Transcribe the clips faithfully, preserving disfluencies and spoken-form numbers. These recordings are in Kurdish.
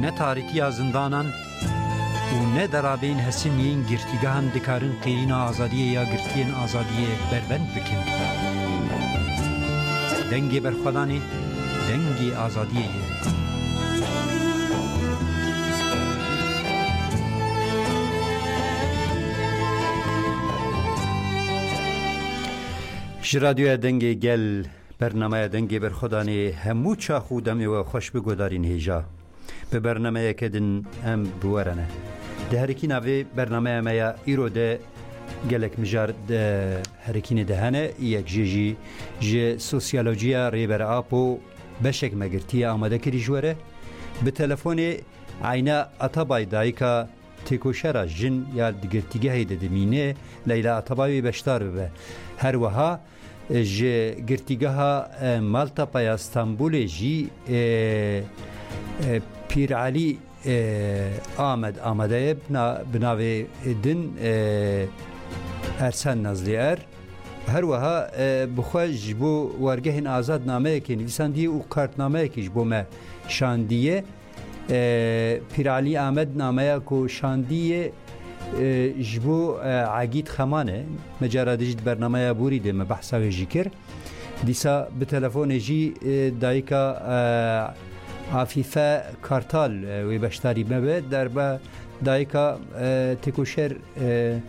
Ne tarîtiya zindanan û ne derabeyên hesin yên girtîgehan dikarin qêrîna azadiyê ya girtiyên azadiyê berbend bikin. Dengê berxwedanê dengê azadiyê ye. Ji Radyoya Dengê Gel, bernameya Dengê Berxwedanê hemû çax û demê we xweş bi guhdarîn hêja. Bi bernameyeke din em bi we re ne. Di herikîna vê bernameya me ya îro de gelek mijar di herikînê de hene, yek jê jî ji sosyolojiya Rêber Apo beşek me girtiye amade kirî ji we re. Bi telefonê Ayna Atabay, dayika têkoşera jin ya di girtîgehê de dimîne, Leyla Atabay wê beşdar bibe. Her wiha, e, ji girtîgeha, e, Maltepe ya Stenbolê jî, e, e, Pîr Elî, e, Amed amade ye, bi na-, bi navê din, e, Ersen Nazlî Er. Her wiha, e, bi xwe ji bo wergehên azad nameyekê nivîsandiye û kartnameyekî ji bo me şandiye. E, Pîralî Amed nameya ku şandiye, e, ji bo, e, Egîd Xeman e. Me cara dijî di bernameya borî de me behsa wê jî kir. Dîsa bi telefonê jî, e, dayika, e, Afîfe Kartal, e, wê beşdarî me be. Derba dayika, e, têkoşer, e,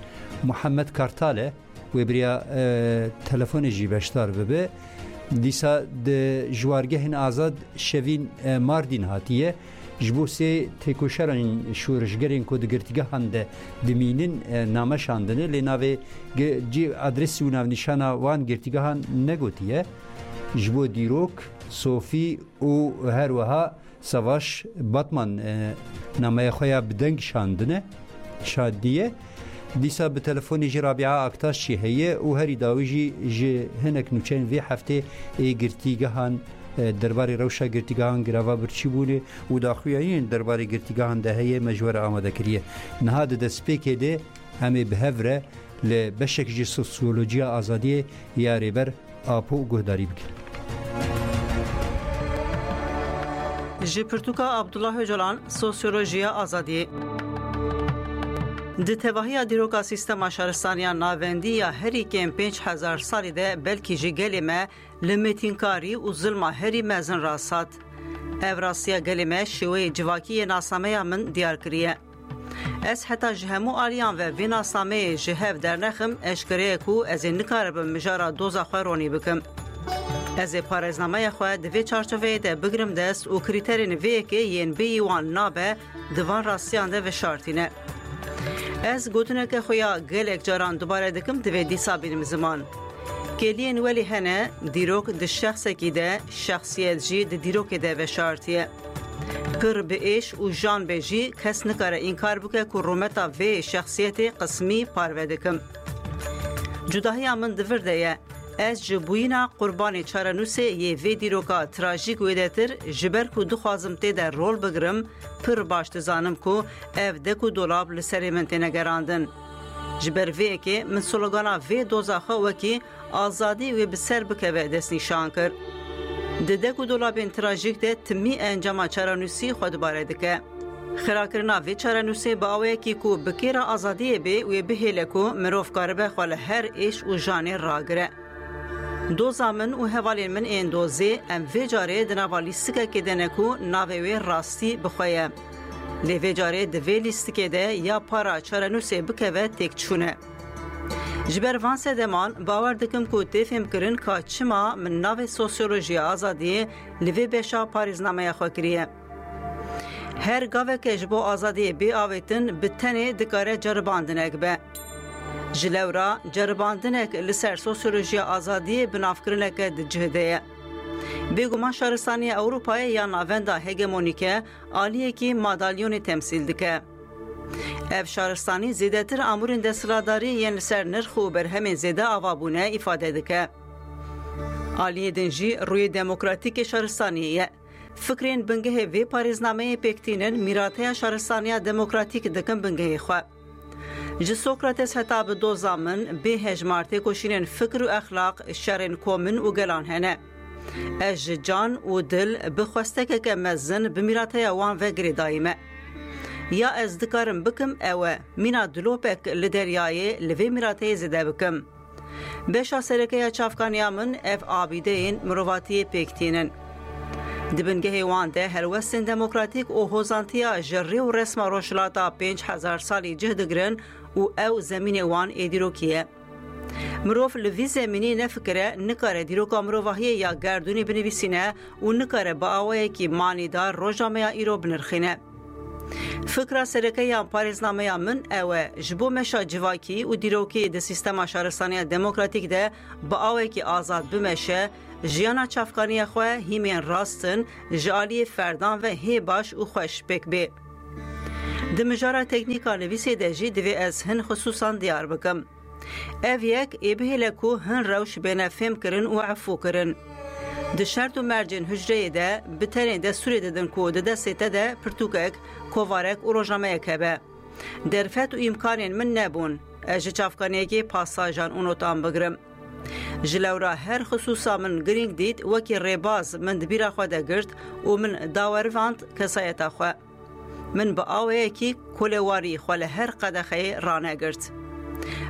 Muhammed Kartal e. Wê biriya, e, telefonê jî beşdar bibe. Dîsa di ji wargehên azad şevîn, e, Mardîn hatiye. Ji bo sê têkoşerên şorişgerên ku di girtîgehan de dimînin, e, name şandine. Lê navê ge-, cî adresî û navnîşana wan girtîgehan negotiye. Ji bo dîrok, Sofî û her wiha Savaş Batman, e, nameya xwe ya bi deng şandine, şandiye. Dîsa bi telefonê jî Rabia Aktaş jî heye û herî dawî jî ji hinek nûçeyên vê heftê ê girtîgehan, e, derbarê rewşa girtîgehan girava birçî bûne û daxuyayîn derbarê girtîgehan de heye me ji we re amade kiriye. Niha di destpêkê de em ê bi hev re li beşek ji sosyolojiya azadiyê ya Rêber Apo guhdarî bikin. Ji pirtûka Abdullah Ocalan, Sosyolojiya Azadiyê. Di tevahiya dîroka sîstema şaristaniya navendî ya herî kêm pênc hezar salî de belkî jî gelê me li mêtînkarî û zilma herî mezin rast hat. Ev rastiya gelê me şêweyê civakî yê nasnameya min diyar kiriye. Ez heta ji hemû aliyan ve vê nasnameyê ji hev dernexim, eşkere ye ku ez ê nikaribim mijara doza xwe ronî bikim. Ez ê parêznameya xwe di vê çarçoveyê de bigirim dest û krîterên vê yekê yên bêyî wan nabe, di van rastiyan de veşartîne. Ez gotineke xwe ya gelek caran dubare dikim, divê dîsa bînim ziman. Kêliyên welî hene, dîrok di şexsekî de, şexsiyet jî di dîrokê de veşartiye. Pir bi êş û jan be jî kes nikare înkar bike ku rûmeta vê şexsiyetê qismî parve dikim. Cudahiya min di vir de ye. Ez ji bûyîna qurbanê çarenûsê yê vê dîroka trajîk wêdetir, ji ber ku dixwazim tê de rol bigirim, pir baş dizanim ku ev dek û dolab li serê min têne gerandin. Ji ber vê yekê min slogana vê doza xwe wekî "Azadî wê bi ser bikeve" destnîşan kir. Di dek û dolabên trajîk de timî encama çarenûsî xwe dubare dike. Xirakirina vê çarenûsê bi awayekî ku bi kêra azadiyê bê, wê bihêle ku mirov karibe xwe li her êş û janê ragire. Doza min û hevalên min ên dozê, em vê carê di nava lîstikekê de ne ku navê wê rastî bi xwe ye. Lê vê carê di vê lîstikê de ya para çarenûsê bikeve têkçûn e. Ji ber van sedeman bawer dikim ku tê fêmkirin ka çima min navê sosyolojiya azadiyê li vê beşa parêznameya xwe kiriye. Her gaveke ji bo azadiyê bê avêtin bi tenê dikare ceribandinek be. Ji lewra ceribandinek li ser sosyolojiya azadiyê binavkirineke di cih de ye. Bêguman şaristaniya Ewropayê ya navenda hegemonîk e, aliyekî madalyonê temsîl dike. Ev şaristanî zêdetir amûrên desthilatdarî yên li ser nirx û berhemên zêde ava bûne îfade dike. Aliyê din jî rûyê demokratîk ê şaristaniyê ye. Fikrên bingehê vê parêznameyê pêk tînin, mîrateya şaristaniya demokratîk dikin bingehê xwe. Ji Sokrates heta bi doza min, bê hejmar têkoşînên fikr û exlaq, şerên komîn û gelan hene. Ez ji can û dil bi xwestekeke mezin bi mîrateya wan ve girêdayî me. Ya ez dikarim bikim ew e, mîna dilopek li deryayê li vê mîrateyê zêde bikim. Beşa sereke ya çavkaniya min ev abîdeyên mirovatiyê pêk tînin. Di bingehê wan de helwestên demokratîk û hozantiya ji rê û resma rojhilata pênc hezar salî cih digirin û ew zemînê wan ê dîrokî ye. Mirov li vî zemînî nefikire, nikare dîroka mirovahiyê ya gerdûnî binivîsîne û nikare bi awayekî manîdar roja me ya îro binirxîne. Fikra sereke ya parêznameya min ew e, ji bo meşa civakî û dîrokî di sîstema şaristaniya demokratîk de bi awekî azad bimeşe, jiyana çavkaniya xwe hîmên rast in, ji aliyê ferdan ve hê baş û xweş pêk bê. Di mijara teknîka nivîsê de jî divê ez hin xisûsan diyar bikim. Ev yek ê bihêle ku hin rewş bêne fêmkirin û efûkirin. Di şert û mercên hucreyê de bi tenê destûrê didin ku di destê te de pirtûkek, kovarek û rojnameyek hebe. Derfet û îmkanên min nebûn ez ji çavkaniyekê pasajan û notan bigirim. Ji lewra her xisûsa min girîng dît, wekî rêbaz min di bîra xwe de girt û min dawerivand kesayeta xwe. Min bi awayekî kolewarî xwe li her qedexeyê ranegirt.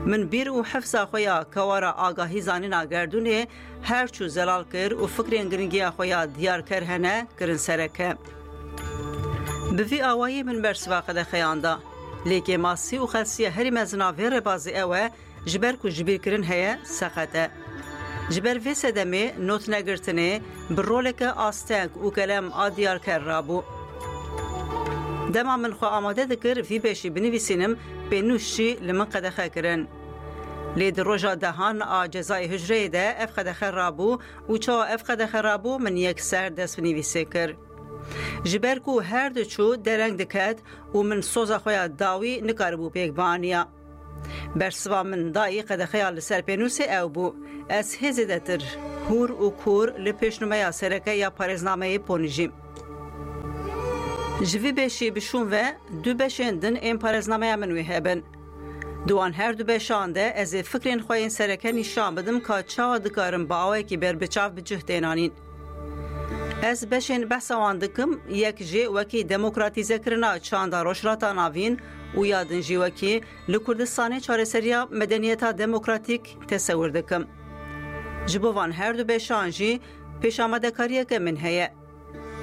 Min bîr û hefza xwe ya kewara agahî zanîna gerdûnê her çû zelal kir û fikrên giringiya xwe ya diyarker hene kirin sereke. Bi vî awayî min bersiva qedexeyan da. Lê kêmasî û xelsiya herî mezin a vê rêbazê ew e, ji ber ku jibîrkirin heye, seqet e. Ji ber vê sedemê notnegirtinê bi roleke asteng û kelem a diyarker rabû. Dema min xwe amade dikir vî beşî binivîsînim, pênûs jî li min qedexe kirin. Lê di roja dehan a cezayê hicreyê de ev qedexe rabû û çawa ev qedexe rabû, min yekser dest bi nivîsê kir. Ji ber ku her diçû dereng diket û min soza xwe ya dawî nikaribû pêk bianiya. Bersiva min dayî qedexeya li ser pênûsê ew bû. Ez hê zêdetir hûr û kûr li pêşnûmeya sereke ya parêznameyê ponijîm. Ji vî beşî bişûn ve du beşên din ên parêznameya min wê hebin. Di wan her du beşan de ez ê fikrên xwe yên sereke nîşan bidim ka çawa dikarim bi awayekî berbiçav bi cih tênanîn. Ez beşên behsa wan dikim, yek jê wekî demokratîzekirina çanda Rojhilata Navîn û ya din jî wekî li Kurdistanê çareseriya medeniyeta demokratîk tesewir dikim. Ji bo van her du beşan jî pêşamadekariyeke min heye.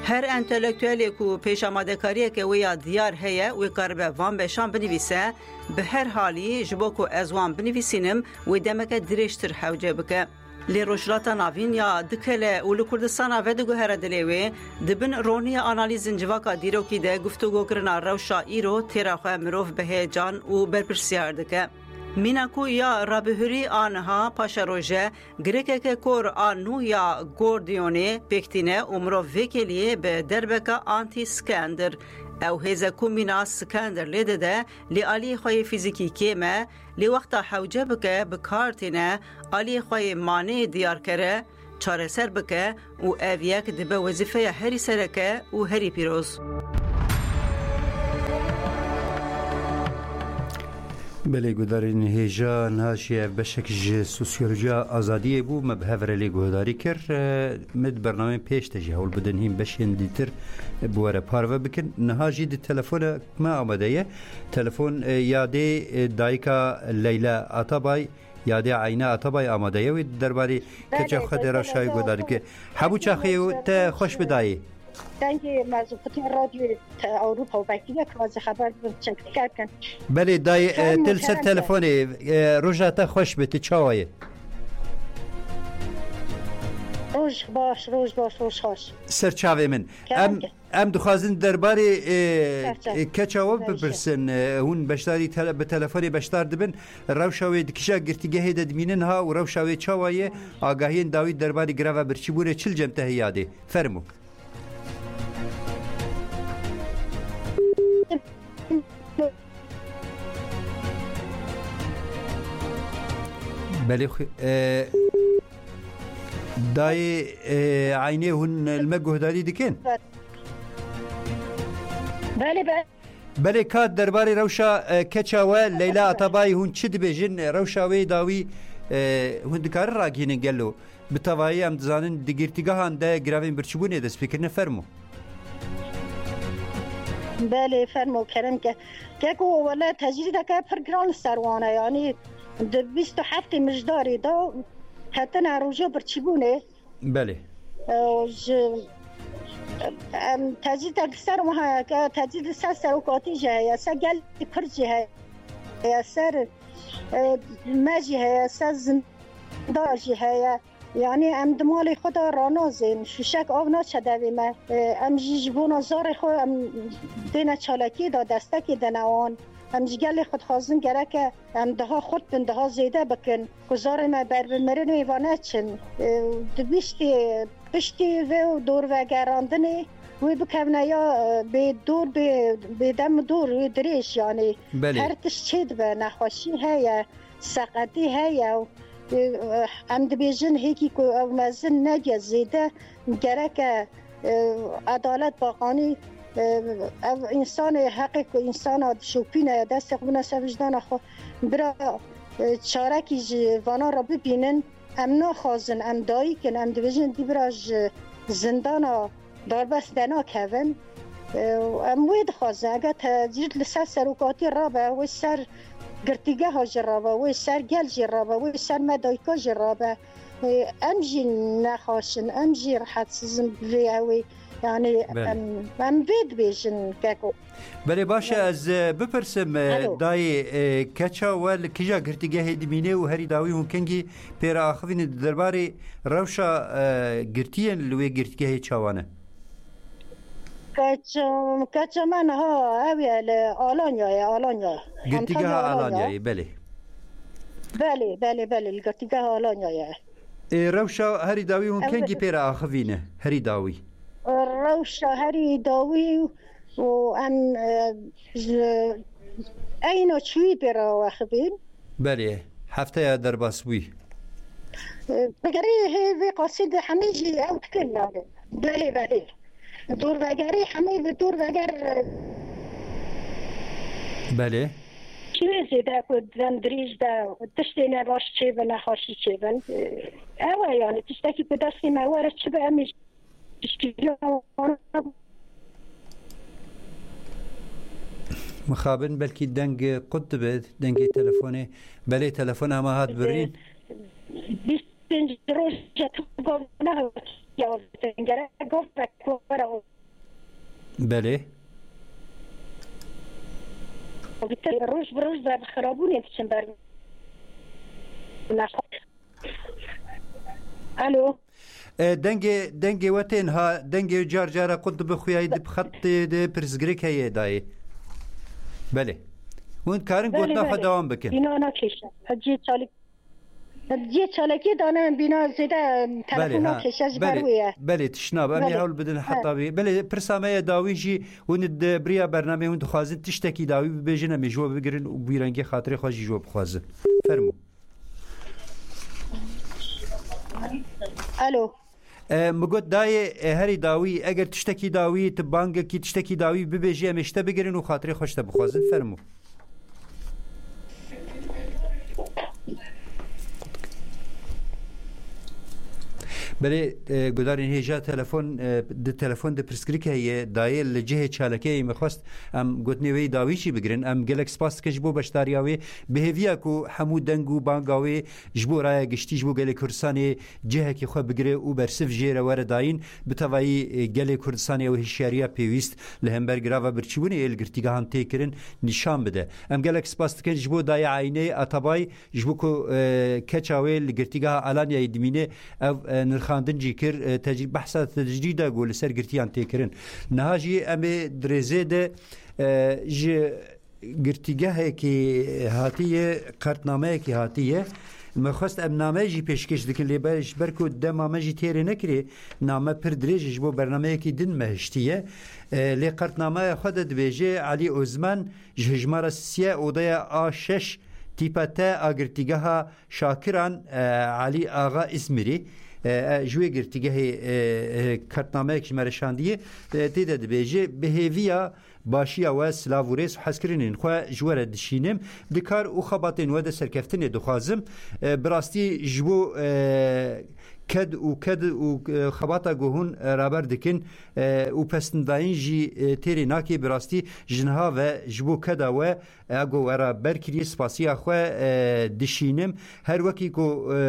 Her entelektuelê ku pêşamadekariyeke wê ya diyar heye, wê karibe van beşan binivîse, bi her halî ji bo ku ez wan binivîsînim, wê demeke dirêjtir hewce bike. Lê Rojhilata Navîn ya dikele û li Kurdistana vediguhere dilê wê, di bin roniya analîzên civaka dîrokî de guftûgokirina rewşa îro têra xwe mirov bi heyecan û berpirsiyar dike. Mîna ku ya rabihurî a niha paşeroje, girêkeke kor a nû ya gordiyonê pêk tîne û mirov vê kêliyê bi derbeka antî-scanner, ew hêze ku mîna scanner lê dide, lê aliyê xwe yê fîzîkî kêm e, lê wexta hewce bike bi kar tîne, aliyê xwe yê maneyê diyarkere, çareser bike û ev yek dibe wezîfeya herî sereke û herî pîroz. Belê, guhdarên hêja, niha jî ev beşek ji sosyolojiya azadiyê bû, me bi hev re lê guhdarî kir. Me di bernameyên pêş de jî hewl bidin hîn beşên dîtir bi we re parve bikin. Niha jî di telefona me amade ye. Telefon, e, yadê, e, dayika Leyla Atabay, yadê Eyne Atabay amade ye. Wê derbarê keça Belê, xwe de belê, rewşa wê belê, guhdarî bike. Belê. Hebû çaxê te xweş bidayê. Dengê me zû xwitî radyoyê te Ewropa û Bekirî ye, ku ez ê xeber bibim, çek dikevkin. Belê, dayê, e, Çend til ser nûker em de. telefonê, e, roja te xweş be, tu çawa ye? Roj baş, roj baş, roj xweş. Ser çavê min. Kerem Em, ke. em dixwazin derbarê, e, Ser çav. e, keça we Ser çav. bipirsin. E, hûn beşdarî tele-, bi telefonê beşdar dibin. Rewşa wê di kîja girtîgehê de dimînin ha û rewşa wê çawa ye? Agahiyên dawî derbarê greva birçîbûnê çi li cem te heye yadê? Fermo. Belê xwe, e, dayê, e, Eynê hûn li me guhdarî dikin? Belê, be- Belê, ka derbarê rewşa, e, keça we Leyla Atabayî hûn çi dibêjin? Rewşa wê dawî, e, hûn dikarin ragihînin gelo? Bi tevayî em dizanin di girtîgehan de giravên birçîbûnê dest pê kirine. Fermo. Belê, fermo, kerem ke. Keko, wele tecrîdeke pir giran li ser wan e, yanî di bîst û heftê Mijdarê de ketine roja birçîbûnê. Belê. E, ji, em, tecrîdek li ser wan heye, ke tecrîd li ser serokatî jî heye, ser gelê Kurd jî heye, ser, e, me jî heye, ser zinda jî heye. Yanî em di malê xwe de ranazên, şûşek av naçe devê me. E, em jî ji bona zarê xwe em dêne çalakiyê de destekê dene wan. Em ji gelê xwe dixwazin gereke em daha xurt bin, daha zêde bikin, ku zarê me ber bi mirinê ve neçin. E, di piştî, piştî vê û dorvegerandinê wê bikevne ya, e, bê dor, bê, bê dem dor, wê dirêj, yanî Belê. Her tişt çêdibe, nexweşî heye, seqetî heye û, e, em dibêjin hêkî ku ew mezin nediye zêde, gereke, e, edalet baqanî, e, ev însanê heqê ku însana dişopîne, destê xwe bine ser wijdana xwe, bira, e, çarekî ji vana re bibînin. Em naxwazin, em dayik in, em dibêjin dî bira ji zindana darbest denakevin. E, em wê dixwazin, eger tecrîd li ser serokatî rabe, wê ser girtîgeha jî rabe, wê ser gel jî rabe, wê ser me dayika jî rabe. E, em jî nexweş in, em jî rihetsizin bi vê ewê. Yanî Belê. Em, em vê dibêjin keko. Belê, baş e, Belê. Ez, e, bipirsim, e, Alo. Dayê, e, keça we li kîja girtîgehê dimîne û herî dawî hûn kengî pê re axivîne di derbarê rewşa, e, girtiyên li wê girtîgehê çawa ne? Keça, keça me niha ew ye li Alanya ye, Alanya. Girtîgeha Antalya, Alanya. Alanyayê, belê. Belê, belê, belê, li girtîgeha Alanya ye. Ê, rewşa herî dawî hûn Ew kengî pê re axivîne? Herî dawî. Rewşa herî dawî û em, e, ji eyna çûyî pê re axivîn. Belê, hefteya derbas bûyî. E, vegerê hê vê qasî de hemî jî ew dikin yani. Belê, belê. Dorvegerê hemî bi dorveger, e, Belê. Çi wê zêde ku dem dirêj de tiştê ne baş çêbin, ne xweşî çêbin. E, ew e yani tiştekî ku destê me were çi be em ê Mixabin belkî deng qut dibe, dengê telefonê. Belê, telefona me hat birîn. Bîst pênc roja tu gov nehatiye, gerek gov were. Belê. Roj bi roj de bi xirabûnê diçin ber. Alo. E, dengê, dengê we tên ha, dengê car cara qut dibe, xuyayî di xetê de pirsgirêk heye dayê. Belê. Hûn karin Belê, gotina xwe belê. Dewam bikin. Bîna nakêşe. Hecî çalî-, hecî çalakî dane bîna zêde Belê, telefon ha. Nakêşe ji ber Belê, wê ye. Belê, tişt nabe. Em ê Belê. Hewl bidin Ha. Heta wê. Belê, pirsa me ye dawî jî hûn di biriya bernameyê hûn dixwazin tiştekî dawî bibêjin, em ê ji we bigirin û bi wî rengê xatirê xwe jî ji we bixwazin. Fermo. Alo. E, mi got dayê, e, herî dawî, eger tiştekî dawî, tu bangekî tiştekî dawî bibêjî, em ê ji te bigirin û xatirê xwe ji te bixwazin. Fermo. Belê, e, gudarên hêja telefon, e, di telefon de pirsgirêk heye, dayê li cihê çalakiyê me xwest em gotinê wê dawî jî bigirin. Em gelek spas dikin ji bo beşdariya wê. Bi hêviya ku hemû deng û banga wê ji bo raya giştî, ji bo gelê Kurdistanê cihekî xwe bigire û bersiv jê re were dayîn, bi tevayî, e, gelê Kurdistanê ew hişyariya pêwîst li hember girava birçîbûnê yê li girtîgehan tê kirin nîşan bide. Em gelek spas dikin ji bo dayê Aynê Atabay, ji bo ku, e, keça wê li girtîgeha Alanyayê dimîne, ev, e, nirxandin jî kir, e, tecrî-, behsa tecrîda ku li ser girtiyan tê kirin. Niha jî em ê di rêzê de, e, ji girtîgehekî hatiye, qertnameyekî hatiye. Me xwest em name jî pêşkêş dikin, lê be-, ji ber ku dema me jî têrê nekirê, name pir dirêj e, ji bo bernameyekî din me hiştiye. E, lê qertnameya xwe de dibêje Elî Ozman ji hejmara siyê odeya A şeş tîpa T a girtîgeha Şakiran, e, Elî Axa Îzmîrî, e, e, ji wê girtîgehê, e, e, qertnameyek ji me re şandiye, e, tê de dibêje, bi hêviya başiya we, silav û rêz û hezkirinên xwe ji we re dişînim. Di kar û xebatên we de serkeftinê dixwazim. E, bi rastî ji bo, e, ked û ked û, e, xebata ku hûn, e, raber dikin, e, û pesnidayîn jî, e, têrê nakê. Bi rastî ji niha ve ji bo keda we, e, ku we raber kiriye, spasiya xwe, e, dişînim. Her wekî ku, e,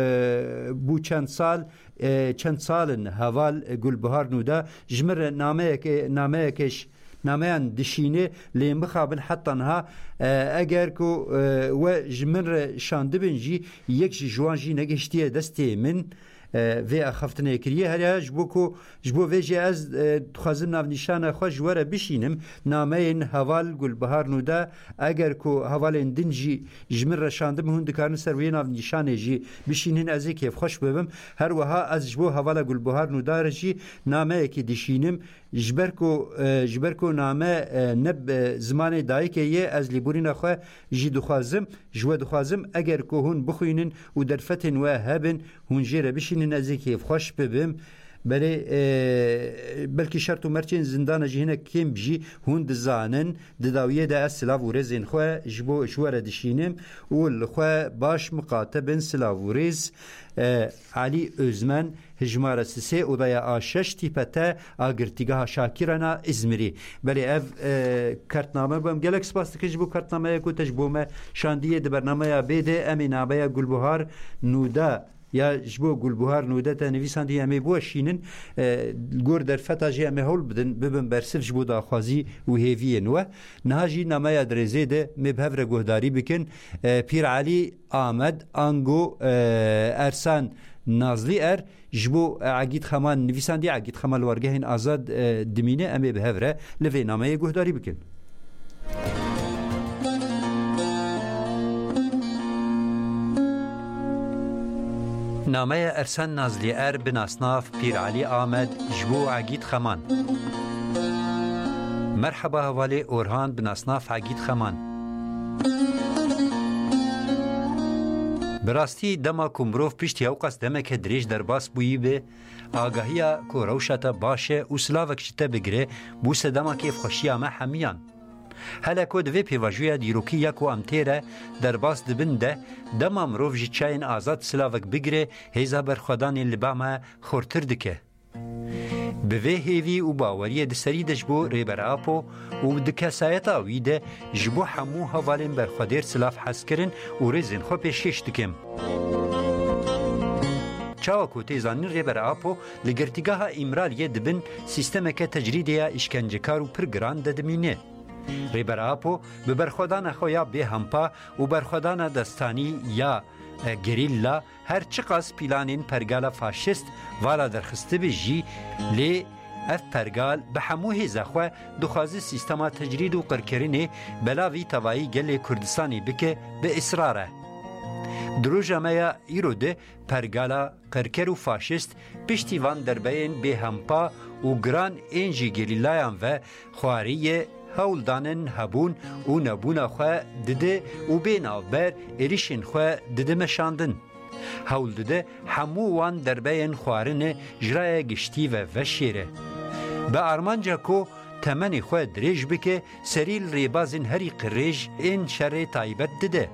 bû çend sal, e, çend sal in heval Gulbihar Nûda ji min re nameyeke, nameyeke ş-, nameyan dişîne, lê mixabin heta niha, e, eger ku, e, we ji min re şandibin jî, yek ji ji wan jî negihiştiye destê min, e, vê axaftinê kiriye. Her ya ji bo ku, ji bo vê jî ez, e, dixwazim navnîşana xwe ji we re bişînim. Nameyên heval Gulbihar Nûda, eger ku hevalên din jî ji min re şandibin, hûn dikarin ser wê navnîşanê jî bişînin, ez ê kêfxweş bibim. Her wiha ez ji bo hevala Gulbihar Nûda re jî nameyekê dişînim. Ji ber ku, e, ji ber ku name, e, ne bi zimanê dayikê ye, ez lêborîna xwe jî dixwazim, ji we dixwazim, eger ku hûn bixwînin û derfetên we hebin, hûn jê re bişînin, ez ê kêfxweş bibim. Belê, e, belkî şert û mercên zindana jî hinek kêm jî hûn dizanin. Di dawiyê de ez silav û rêzên xwe ji bo, ji we re dişînim û li xwe baş miqate bin. Silav û rêz, e, Elî Ozmen, hijmara sisê, odaya A şeş, tîpe T a Girtîgeha Şakirana Îzmirî. Belê ev, e, kartname bû. Em gelek spas dikin ji bo kartnameya ku te ji bo me şandiye. Di bernameya bê de em ê nameya Gulbuhar Nûda ya ji bo Gulbuhar Nûde te nivîsandî, em ê biweşînin. E, gor derfeta jî em ê hewl bidin, bibin bersiv ji bo daxwazî û hêviyên we. Niha jî nameya dirêzê de me bi hev re guhdarî bikin. E, Pîr Elî Amed ango, e, Ersan Nazlî Er ji bo, e, Egîd Xeman nivîsandî, Egîd Xeman li wargehên azad, e, dimîne, em ê bi hev re li vê nameyê guhdarî bikin. Nameya Ersan Nazlî Er bi nasnav Pîr Elî Amed ji bo Egîd Xeman. Merheba hevalê Orhan bi nasnav Egîd Xeman. Bi rastî dema ku mirov piştî ewqas demeke dirêj derbas bûyî be, agahiya ku rewşa te baş e û silavek ji te bigire, bû sedema kêfxweşiya me hemiyan. Hele ku di vê pêvajoya dîrokî ya ku em tê re derbas dibin de, dema mirov ji çiyayên azad silavek bigire, hêza berxwedanê li ba me xurtir dike. Bi vê hêvî û baweriyê di serî de ji bo Rêber Apo û di kesayeta wî de ji bo hemû hevalên berxwedêr silav hez kirin û rêzên xwe pêşkêş dikim. Çawa ku tê zanîn, Rêber Apo li Girtîgeha Îmraliyê di bin sîstemeke tecrîdê ya îşkencekar û pir giran de dimîne. Rêber Apo bi berxwedana xwe ya bêhempa û berxwedana destanî ya, e, gerîlla, her çiqas pîlanên pergala faşîst vala derxistibe jî, lê ev pergal bi hemû hêza xwe dixwaze sîstema tecrîd û qirkirinê belavî tevayî gelê Kurdistanê bike bi israr e. Di roja me ya îro de pergala qirker û faşîst piştî van derbeyên bêhempa û giran ên ji gerîlayan ve xwarî ye, hewl danin hebûn û nebûna xwe dide û bê navber êrîşên xwe dide meşandin. Hewl dide hemû wan derbeyên xwarine ji raya giştî ve veşêre. Bi armanca ku temenê xwe dirêj bike, serî li rêbazên herî qirêj ên şerê taybet dide.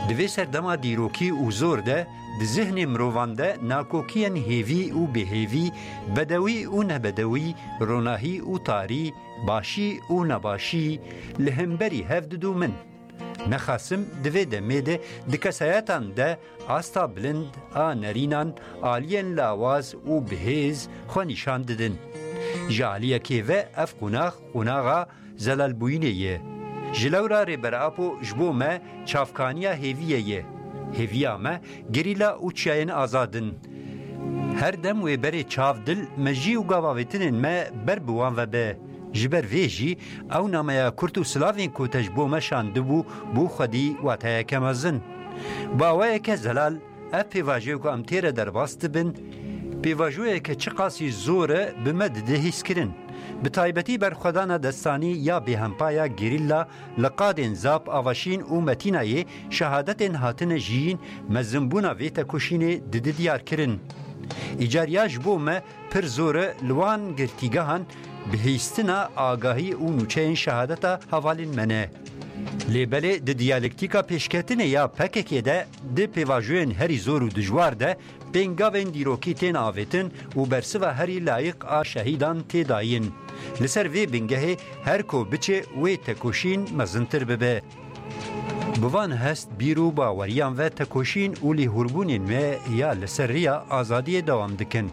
Di vê serdema dîrokî û zor de, di zihnê mirovan de nakokiyên hêvî û bêhêvî, bedewî û nebedewî, ronahî û tarî, başî û nebaşî li hemberî hev didûmin. Nexasim di vê demê de di kesayetan de asta bilind a nerînan aliyên lawaz û bihêz xwe nîşan didin. Ji aliyekê ve ev qonax qonaxa zelalbûyînê ye. Ji lewra Rêber Apo ji bo me çavkaniya hêviyê ye. Hêviya me gerîla û çiyayên azad in. Her dem wê berê çav dil mejî û gavavêtinên me ber bi wan ve be. Ji ber vê jî ew nameya kurt û silavên ku te ji bo me şandibû, bû xwedî wateyeke mezin. Bi awayeke zelal, ev pêvajoyê ku em tê re derbas dibin, pêvajoyeke çiqasî zor e, bi me dide hîskirin. Bi taybetî berxwedana destanî ya bêhempa ya gerîlla li qadên Zap, Avaşîn û Metînayê şehadetên hatine jiyîn, mezinbûna vê tekoşînê dide diyarkirin. Îcar ya ji bo me pir zor e, li wan girtîgehan bihîstina agahî û nûçeyên şehadeta hevalên me ne. Lê belê di diyalektîka pêşketinê ya P K K de di pêvajoyên herî zor û dijwar de pêngavên dîrokî tên avêtin û bersiva herî layiq a şehîdan tê dayîn. Li ser vê bingehê her ku biçe wê tekoşîn mezintir bibe. Bi van hest, bîr û baweriyan ve tekoşîn û lêhûrbûnên me ya li ser riya azadiyê dewam dikin.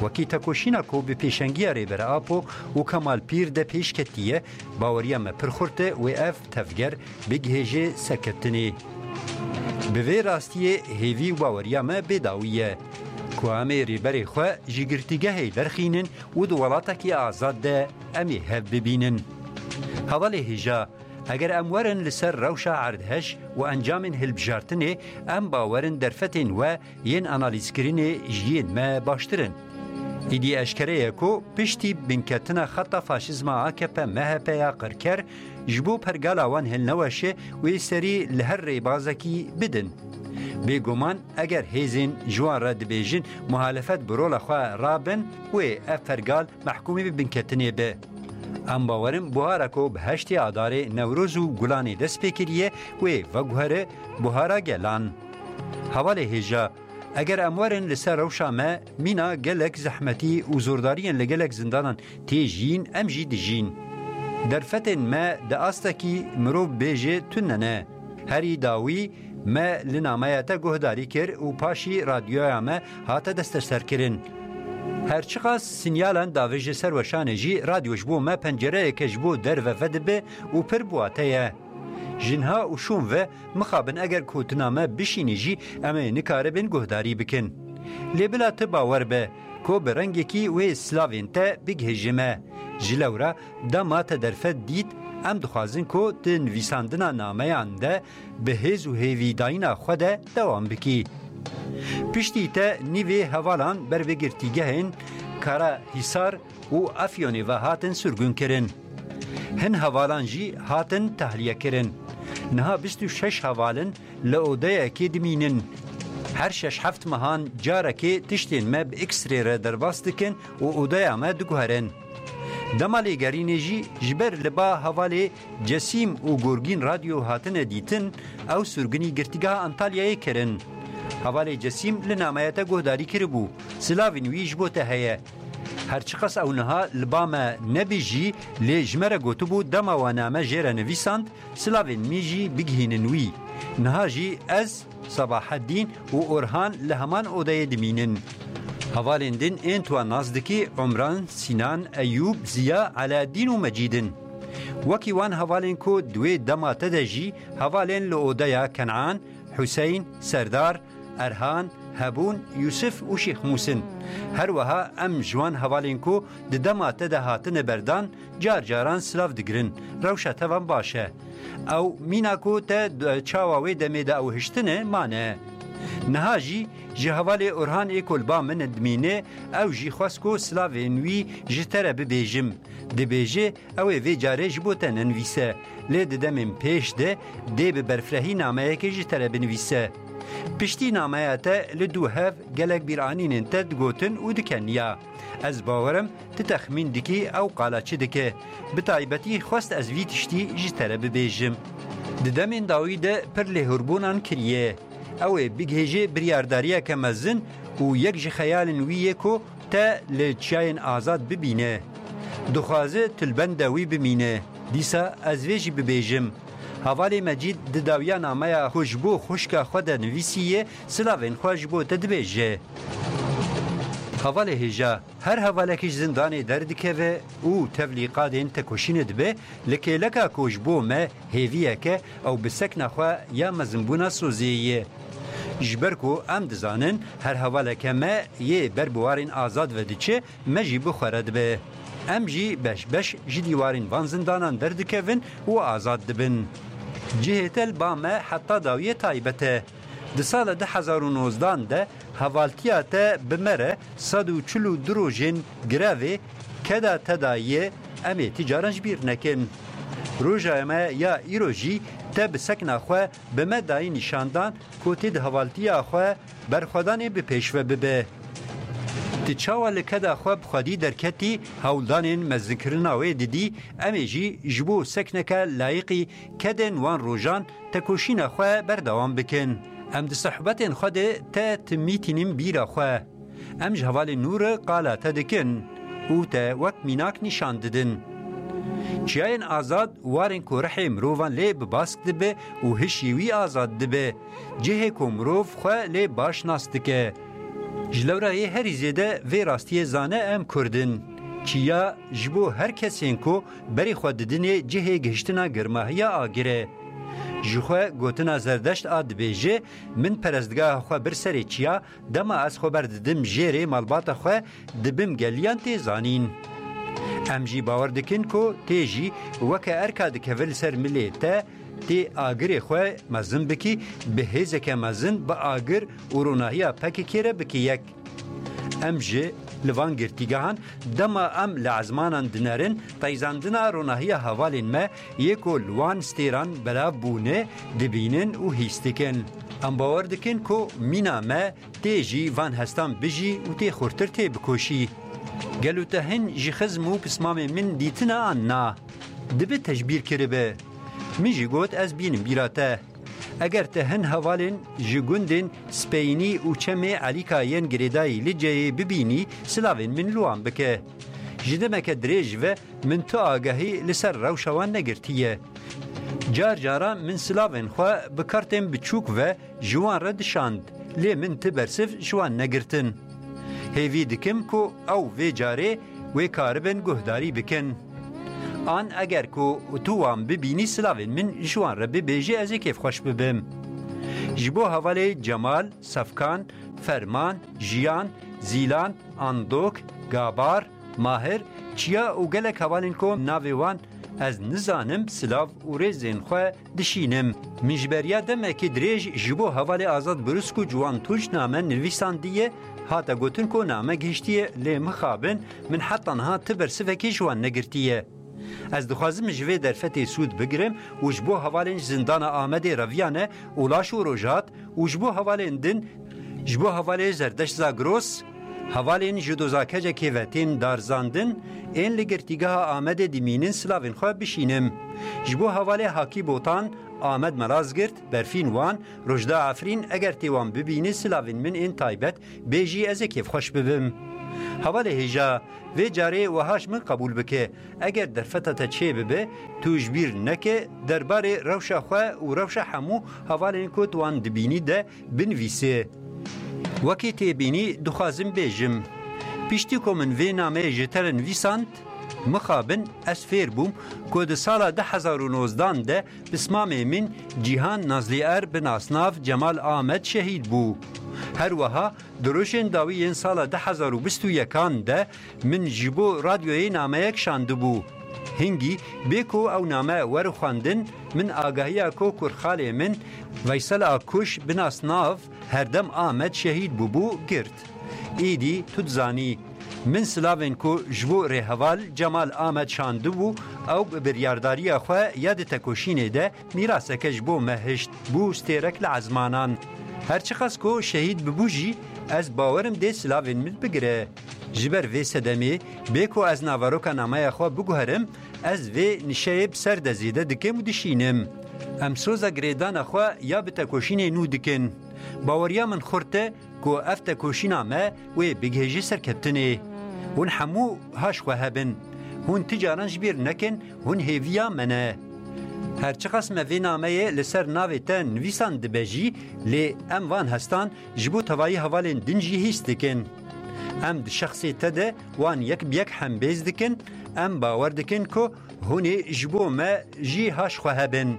Wekî tekoşîna ku bi pêşengiya Rêber Apo û Kemal Pîr de pêş ketiye, baweriya me pir xurt e wê ev tevger bigihêje serkeftinê. Bi vê rastiyê hêvî û baweriya me bê dawî ye ku em ê rêberê xwe ji girtîgehê derxînin û di welatekî azad de em ê hev bibînin. Hevalê hêja, eger em werin li ser rewşa erdhej û encamên hilbijartinê, em bawerin derfetên we yên analîzkirinê ji yên me baştir in. Îdî eşkere ye ku piştî binketina xeta faşîzma A K P M H P ya qirker, ji bo pergala wan hilneweşe wê serî li her rêbazekî bidin. Bêguman eger hêzên ji wan re dibêjin muhalefet bi rola xwe rabin, wê ev pergal mehkûmî bi binketinê be. Em bawerin buhara ku bi heştê Adarê Newroz û Gulanê dest pê kiriye, wê veguhere buhara gelan. Hevalê hêja, eger em werin li ser rewşa me, mîna gelek zehmetî û zordariyên li gelek zindanan tê jiyîn, em jî dijîn. Derfetên me di astekî mirov bêje tune ne. Herî dawî me li nameya te guhdarî kir û paşî radyoya me hate desteserkirin. Her çiqas sinyalan davêje ser weşanê jî, radyo ji bo me pencereyeke ji bo derve vedibe û pir bi wate ye. Ji niha û şûn ve mixabin eger gotina me bişînî jî, em ê nikaribin guhdarî bikin. Lê bila tu bawer be ku bi rengekî wê silavên te bigihêje me. Ji lewra dema te derfet dît, em dixwazin ku di nivîsandina nameyan de bi hêz û hêvîdayîna xwe de dewam bikî. Piştî te nîvê hevalan ber bi girtîgehên Kara Hîsar û Efyonê ve hatin sirgûn kirin. Hin hevalan jî hatin tehliye kirin. Niha bîst û şeş heval in li odeyekê dimînin. Her şeş heft mehan carekê tiştên me bi X-ray re derbas dikin û odeya me diguherin. Dema lêgerînê jî ji ber li ba hevalê Cesîm û Gorgîn Radyo hatine dîtin, ew sirgûnî girtîgeha Antalyayê kirin. Hevalê Cesîm li nameya te guhdarî kiribû, silavên wî ji bo te heye. Her çiqas ew niha li ba me nebî jî, lê ji me re gotibû dema we name jê re nivîsand, silavên min jî bigihînin wî. Niha jî ez, Sebaheddîn û Orhan li heman odeyê dimînin. Hevalên din ên tu wan nas dikî Umran, Sînan, Eyûb, Ziya, Elaeddîn û Mecîd in. Wekî wan hevalên ku di wê dema te de jî hevalên li odeya Kenan, Hüseyin, Serdar, Erhan, Hebûn, Yûsif û Şêx Mûs in. Her wiha em ji wan hevalên ku di dema te de hatine berdan, car caran silav digirin. Rewşa te van baş e. Ew mîna ku te d-, çawa wê demê de ew hiştine mane. Niha jî ji hevalê Orhan ê ku li ba min dimîne, ew jî xwest ku silavên wî ji te re bibêjim. Dibêje, ew ê vê carê ji bo te nenivîse, lê di demên pêş de dê bi berfirehî nameyekê ji te re binivîse. Piştî nameya te li dû hev gelek bîranînên te digotin û dikeniya. Ez bawer im tu texmîn dikî ew qala çi dike. Bi taybetî xwest ez vî tiştî ji te re bibêjim. Di demên dawî de pir lêhûrbûnan kiriye. Ew ê bigihêje biryardariyeke mezin û yek ji xeyalên wî ye ku te li çiyayên azad bibîne. Dixwaze tu li benda wî bimîne. Dîsa ez vê jî bibêjim. Hevalê Mecîd di dawiya nameya ku ji bo xwişka xwe de nivîsiye, silavên xwe ji bo te dibêje. Hevalê hêja, her hevalekî ji zindanê derdikeve û tevlî qadên tekoşînê dibe, li kêleka ku ji bo me hêviyeke ew bi sekna xwe ya mezinbûna sozê ye. Ji ber ku em dizanin her hevaleke me yê ber bi warên azad ve diçe, me jî bi xwe re dibe. Em jî beş beş ji dîwarên van zindanan derdikevin û azad dibin. Cihê te li ba me heta dawiyê taybet e. Di sala du hezar û nozdan de hevaltiya te bi me re sed û çil û du rojên grevê keda te daye, em ê ti caran ji bîr nekin. Roja me ya îro jî te bi sekna xwe bi me dayî nîşandan ku tê di hevaltiya xwe berxwedanê bi pêş ve bibe. Ti çawa li keda xwe bi xwedî derketî, hewldanên mezinkirina wê didî, em ê jî ji bo sekneke layiqî kedên wan rojan tekoşîna xwe berdewam bikin. Em di sohbetên xwe de te timîtînin bîra xwe. Em ji hevalên nû re qala te dikin û te wek mînak nîşan didin. Çiyayên azad warên ku rihê mirovan lê bi bask dibe û hişî wî azad dibe. Cihê ku mirov xwe lê baş nas dike. Ji lewra yê herî zêde vê rastiyê zane em Kurd in. Çiya ji bo her kesên ku berê xwe didinê cihê gihiştina germahiya agir e. Ji xwe gotina Zerdeşt a dibêje, min perestgeha xwe bir serê çiya, dema ez xwe berdidim jêrê malbata xwe, dibim geliyan tê zanîn. Em jî bawer dikin ku tê jî weke erka dikeve li ser milê te, tê agirê xwe mezin bikî, bi hêzeke mezin bi agir û ronahiya P K K re bikî yek. Em ji li van girtîgehan dema em li ezmanan dinerin, teyzandina ronahiya hevalên me yê ku li wan stêran belav bûne, dibînin û hîs dikin. Em bawer dikin ku mîna me tê jî van hestan bijî û tê xurtir tê bikoşî. Gelo te hin ji xizm û pismamê min dîtine an na? Dibe te ji bîr kiribe. Min jî got ez bînim bîra te. Eger te hin hevalên ji gundên Speyînî û Çemê Elîka yên girêdayî Liceyê bibînî, silavên min li wan bike. Ji demeke dirêj ve min tu agahî li ser rewşa wan negirtiye. Car caran min silavên xwe bi kartên biçûk ve ji wan re dişand, lê min ti bersiv ji wan negirtin. Hêvî dikim ku ew vê carê wê karibin guhdarî bikin. An eger ku tu wan bibînî, silavên min ji wan re bibêjî, ez ê kêfxweş bibim. Ji bo hevalê Cemal, Sefkan, Ferman, Jiyan, Zîlan, Andok, Gabar, Mahir, Çiya û gelek hevalên ku navê wan ez nizanim, silav û rêzên xwe dişînim. Min ji beriya demekê dirêj ji bo hevalê Azad Brusku Ciwan Tunç name nivîsandiye, hate gotin ku name gihiştiye, lê mixabin min heta niha ti bersivekê ji wan negirtiye. Ez dixwazim ji vê derfetê sûd bigirim û ji bo hevalên ji zindana Amedê reviyane û laş û rojhat û ji bo hevalên din, ji bo hevalê Zerdeşt Zagros, hevalên ji doza Kecekê ve tên darizandin, ên li girtîgeha Amedê dimînin silavên xwe bişînim. Ji bo hevalê Hakî Botan, Amed Melazgirt, Berfîn Wan, Rojda Efrîn, eger tê wan bibînî silavên min ên taybet bêjî, ez ê kêfxweş bibim. Hevalê hêja, vê carê wiha ji min qebûl bike, eger derfeta te çêbibe, tu ji bîr neke derbarê rewşa xwe û rewşa hemû hevalên ku tu wan dibînî de binivîse. Wekî tê bînî dixwazim bêjim. Piştî ku min vê nameyê ji te re nivîsand, mixabin ez fêr bûm ku di sala du hezar û nozdan de pismamê min Cîhan Nazlîer bi nasnav Cemal Amed şehîd bû. Her wiha di rojên dawî yên sala du hezar û bîst û yekan de min ji bo radyoyê nameyek şandibû. Hingî bê ku ew name were xwendin, min agahiya ku kurxalê min Veysel Akkuş bi nasnav Herdem Amed şehîd bûbû girt. Êdî tu dizanî, min silavên ku ji bo rêheval Cemal Amed şandibû, ew bi biryardariya xwe ya di tekoşînê de mîraseke ji bo me hişt, bû stêrek li ezmanan. Her çiqas ku şehîd bibû jî, ez bawerim dê silavên min bigire. Ji ber vê sedemê, bê ku ez naveroka nameya xwe biguherim, ez vê nişeyê bi ser de zêde dikim û dişînim. Em soza girêdana xwe ya bi tekoşînê nû dikin. Baweriya min xurt e ku ev tekoşîna me wê bigihêje serkeftinê. Hûn hemû haş xwe hebin. Hûn ti caran ji bîr nekin, hûn hêviya me ne. Her çiqas me vê nameyê li ser navê te nivîsandibe jî, lê em van hestan ji bo tevayî hevalên din jî hîs dikin. Em di şexsê te de wan yek bi yek hembêz dikin, em bawer dikin ku hûn ê ji bo me jî haş xwe hebin.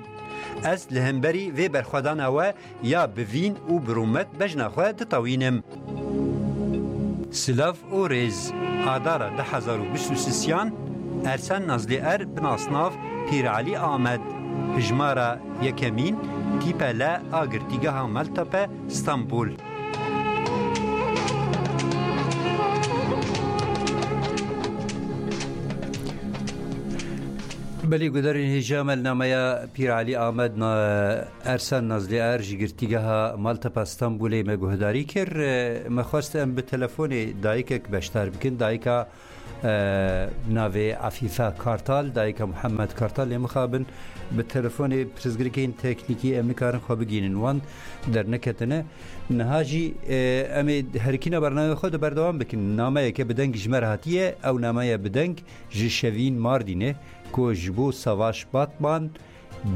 Ez li hemberî vê berxwedana we ya bi vîn û bi rûmet bejna xwe ditewînim. Silav û rêz. Adara du hezar û bîst û sisiyan, Ersen Nazlîer bi nasnav Pîr Elî Amed, hijmara yekemîn, tîpe le a girtîgeha Maltepe, Stenbul. Belê, gudarên hêja me li nameya Pîr Elî Amed na, Ersan Nazlî Er ji girtîgeha Maltepa Stenbolê me guhdarî kir. Me xwest em bi telefonê dayikek beşdar bikin. Dayika, e, navê Afîfe Kartal, dayika Muhammed Kartal, lê mixabin bi telefonê pirsgirêkên teknîkî em nikarin xwe bigihînin wan derneketine. Niha jî, e, em ê herikîna bernameyê xwe de berdewam bikin. Nameyeke bi deng ji me re hatiye, ew nameya bi deng ji Şevîn Mardînê ku ji bo Savaş Batman,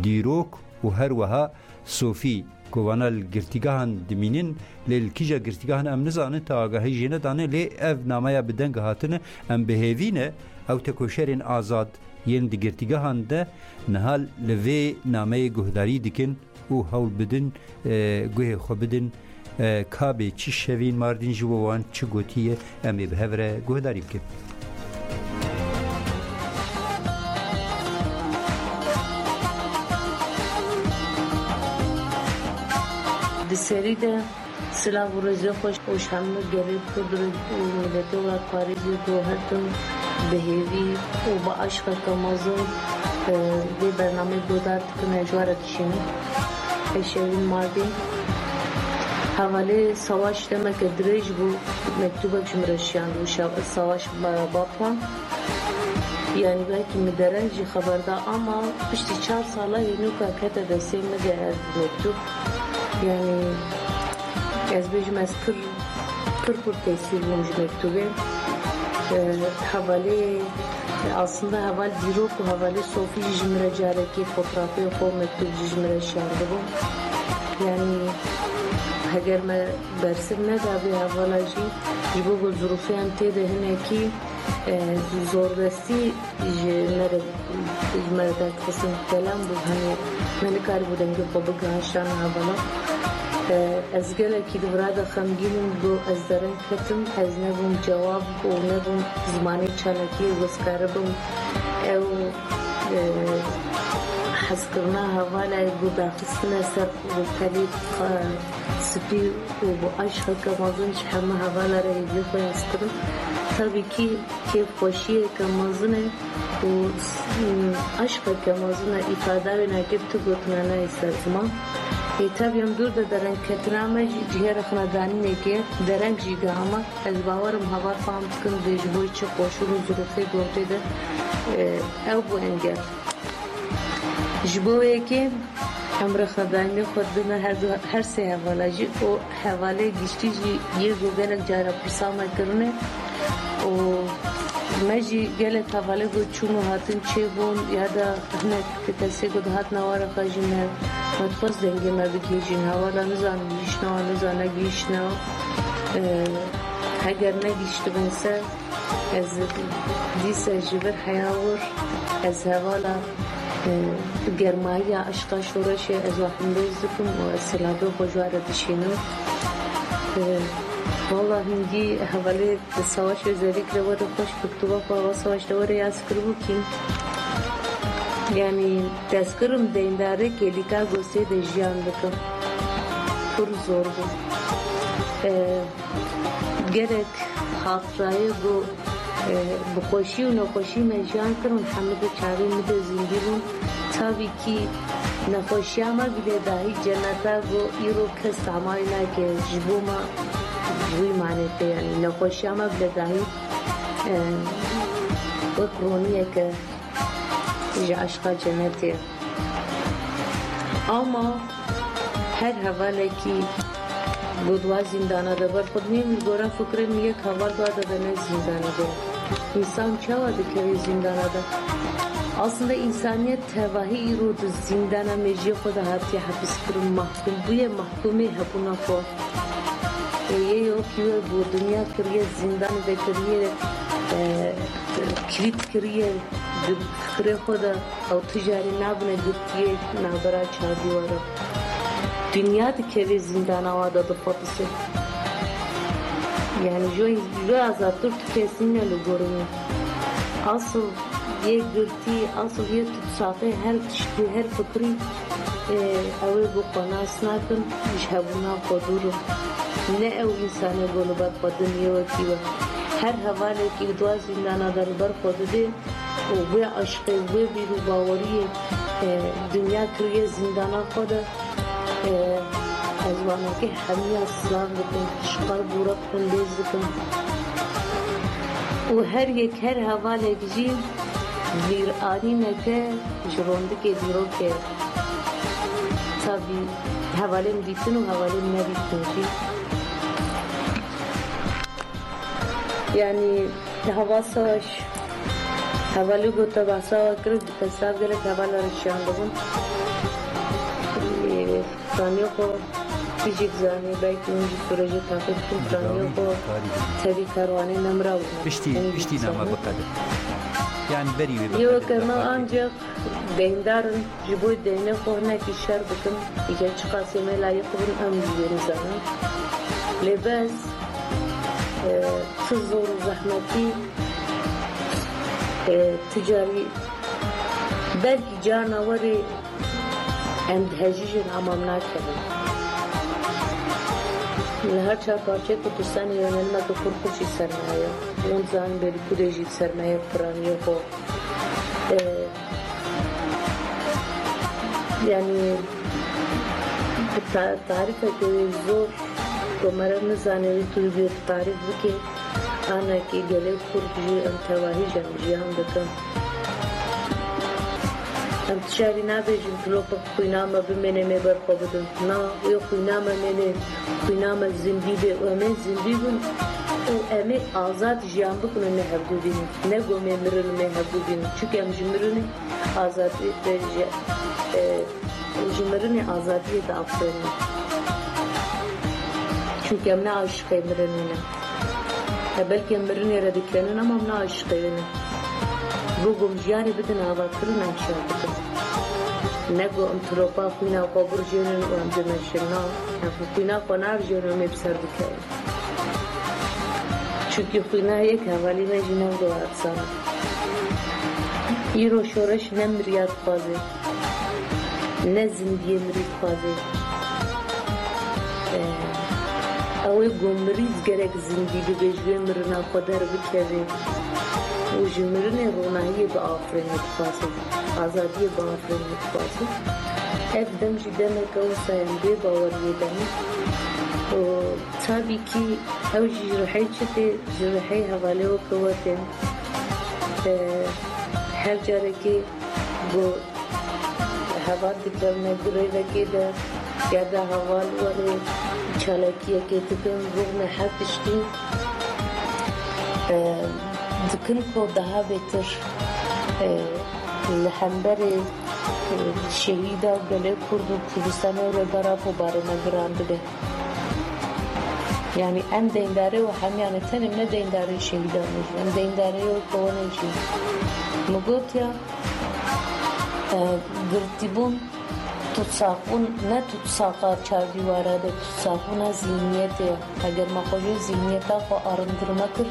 Dîrok û her wiha Sofî ku vana li girtîgehan dimînin, lê li kîja girtîgehan em nizanin, te agahî jê nedane, lê ev nameya bi deng hatine, em bi hêvî ne ew tekoşerên azad yên di girtîgehan de niha li vê nameyê guhdarî dikin û hewl bidin, e, guhê xwe bidin, e, ka bê çi Şevîn Mardîn ji bo wan çi gotiye, em ê bi hev re guhdarî bikin. Di serî de silav û rêzê xweş û ji hemû gelê Kurd û miletê welatparêzê ku her tim bi hêvî û bi aşqeke mezin, e, vê bernameyê guhdar dikin, ez ji we re dişînim. Ez Şevîn Mardîn. Hevalê Savaş demeke dirêj bû, mektûbek ji min re şiyandibû, Şa-, Savaş Ba-, Batman. Yanî belkî min dereng jî xeber da, ama piştî çar sala hênûka kete destê min de ev mektûb. Yanî ez bêjim, ez pir, pir, pir tesîr bûm ji mektûbê. E, hevalê, aslında heval Dîrok û hevalê Sofî jî ji min re carekê fotoğrafê xwe, mektûb jî ji min re şiyandibû. Yanî heger me bersiv neda vê hevala jî, ji bo ku zirûfê em tê de hinekî, e, zorbestî ji me re, ji me re derdixistin, kelem bû, hani me nikaribû dengê xwe bigiha şana hevala. E, ez gelekî di vira de xemgîn im, got ez dereng ketim, ez nebûm cewab û nebûm zimanê çalakiyê ku ez karibim ew, e, hezkirina hevala ku daxistine ser pelê, e, spî û bi aşqeke mezin ji hemû hevala re hêviyê xwe hez kirin. Tabî kî kêfxweşiyeke mezin e û, û aşqeke mezin e, îfada wê nake bi tu gotina nayê ser ziman. Ê, tabî em dûr de derengketina me jî cihê rexnedanînekê ye, dereng jî giha me. Ez bawer im heval fam dikin vê ji bo çi koşûr û zirûfê gotê de, e, ew bû engel. Ji bo wê yekê em rexnedanînê xwe didin her du, her sê hevala jî û hevalê giştî jî yê ku gelek cara pirsa me kirine û me jî gelek hevalê ku çûn û hatin çêbûn ya da hinek kesê ku dihatin eware xwe jî me, me dixwest dengê me bigihîjin. Hevala nizan gihîştine wan, nizan negihîştine wan. E, heger negihîştibin ser, ez dîsa ji vir heya wir, ez hevala, e, germayiya eşqa şoreşê ez we hindêz dikim û ez silavê xwe ji we re dişînim. E, wala hingî hevalê Savaş, özellikle we re xweş, mektuba xwe heval Savaş de we re yaz kiribû kî. Yanî destkirim deyndarê kêlîka gosê de jiyan dikim. Pir zor bû. E, Gelek hatirayê ku, e, bi xweşî û nexweşî me jiyan kirin, hemû di çavê min de zindî bûn. Tabî kî nexweşiya me bile dahî ceneta ku îro kes tamay nake ji bo me ji wî manê te, yanî nexweşiya me bile dahî, e, wek roniyeke ji eşqa cenetê. Ama her hevalekî ku di wa zîndana de ber xwe dinê, min gora fikrê min yek heval dua de ne zîndana de. Însan çawa dikeve zîndana de? Aslında însaniyet tevahî îro di zîndana mejiyê xwe de hatiye hepis kirin, mahkum bûye, mahkumê hebûna xwe. Ê, yê yo kî we bo dinya kiriye, zîndanê de kiriye, e, kilît kiriye, di fikrê xwe de ew tu carî nabine girtiyê navbera çar dîwara. Dinya dikeve zîndana wa de dixwepise. Yani ji, ji azadtir tu kesî ne li gorî min. Asıl yê girtî, asıl yê tutsaqê her tiştî, her fikrî, e, ew ê ku xwe nas nakin, ji hebûna xwe dûr in. Ne ew însanê ku li ber xwe din yê wekî we. Her hevalekî li dua zîndana de li ber xwe didê, û wê eşqê, wê bîr û baweriyê, e, dinya kiriye zîndana xwe de, e, ez wanekê hemiya silav dikim, ji qelb û reqim lêz dikim. Û her yek, her hevalek jî bîranîneke ji rondikê dîrokê tabî hevalên dîtin û hevalên nedîtin jî. Yanî hava savaş, hevalê ku te behsa we kir, bi tesav gelek hevala re şiyandibûn. Ê, piraniya xwe tu jî dizanî, belkî hûn jî sûrê jê taqîb bikin, piraniya xwe tevî karwanê nemira bûne. Piştî, piştî nama biqede. Yanî berî wê biqede. Yê weke me ancak deyndar in. Ji bo deynê xwe hinekî şer bikin, îca çiqasê me layîq bin, em jî wê nizanin. Lê bes, e, tu zor û zehmetî, e, tu carî belkî carna werê em dihejîjin, ama em nakevin. Li her çar parçeyê Kurdistanê yönelmeke kurkuk jî ser me heye. Hûn dizanin berî ku dê jî ser me heye, piraniyê xwe. E, yanî bi ta-, tarîfeke wê zor ku meriv nizane wê tu bi tarîf bike, anekê gelê Kurd jî em tevahî jî em jiyan dikin. Em tu şerî nabêjin, tu lopek xwîna me bimêne, me ber xwe bidin. Na, wê xwîna me mêne, xwîna me zindî be û em ê zindî bin û em ê azad jiyan bikin û me hevdû bînin. Ne ku me mirin û me hevdû bînin. Çunke em ji mirinê azadî, e, ji, e, ji mirinê azadiyê diafirînin. Çunke em ne aşiqê mirinê ne. E, belkî em mirinê re dikenin, ama em ne aşiqê wê ne. Go, go em jiyanê bidin avakirin, em şer bikin. Ne go em tilopa xwîna xwe birjênin û em bimeşin. Na, em xwîna xwe narjênin û em ê bi ser bikevin. Çunkî xwîna yek hevalî me jî ne wilo erzan e. Îro şoreş ne miriya dixwaze, ne zindiyê mirî dixwaze. Ew ê ku mirî gerek zindî bibe, ji wê mirina xwe derbikeve û ji mirinê ronahiyê biafirîne dixwaze, azadiyê biafirîne dixwaze. Ev dem jî demeke wisa ye, em bê baweriyê de ne. Û tabî kî ew jî ji rihê çi tê, ji rihê hevalê weke we tê. Eee, her carekê ku heval dikevine grevekê de ya da heval were çalakiyekê dikin, rûxmê her tiştî, e, dikin ku daha bêtir, e, li hemberê, e, şehîda gelê Kurd û Kurdistanê û Rêbera Xwebarê me giran dibe. Yanî em deyndarê û hemiyan e, tenê ne deyndarê şehîdan e jî, em deyndarê wê kowanê jî. Min gotiya, e, girtîbûn, tutsaqbûn, ne tutsaqa çardîwara de, tutsaqbûna zîhniyetê ye. Eger me xwe ji zîhniyeta xwe arîndir nekir,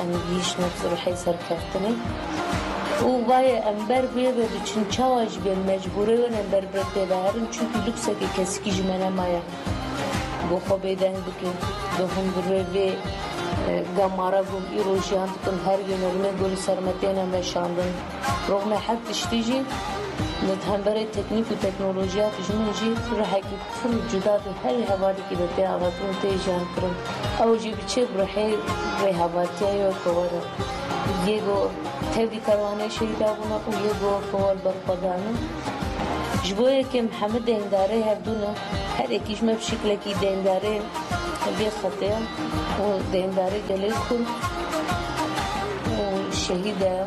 em gihîştine rihê serkeftinê. Û vaye em ber vê ve diçin, çawa jî bê mecbûrê win em ber vê tê ve herin, çunkî luksekê kesikî ji me nemaye. Go xwe bêdeng bike, go hundirê vê, e, gemara ku îro jiyan dikin, her yönelmê ku li ser me têne meşandin. Rûxmê her tiştî jî li hemberê teknîk û teknolojiya dijmin jî rihekî pir cuda di her hevalekî de tê avakirin, tê jiyankirin. Ew jî bi çi? Bi rihê rêhevaltiya yê weke we re. Yê ku tevlî kerwanê şehîda bûne û yê ku weke we li ber xwe dane. Ji bo yekê em hemî deyndarê hevdû ne. Her yekî ji me bi şiklekî deyndarê vê xetê ye û deyndarê gelê Kurd û şehîd e.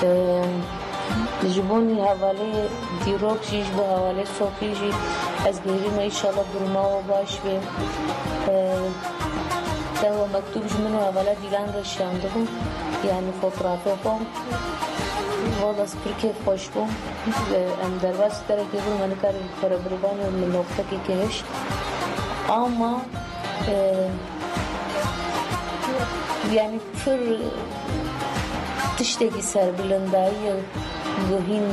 Ee, ji bo nî hevalê dîrok jî, ji bo hevalê Sofî jî ez bihêvî me, înşallah duruma we baş be. Ee, te we mektûb ji min û hevala Dîlan re şiyandibû, yanî fotografê xwe. Wala ez pir kêfxweş bûm. Ee, em derbasî derekê bûn, me nikarî xwe re biribanê min noqtekê kihişt. Ama, ee, yanî pir tiştekî serbilindayî ye, guhîn.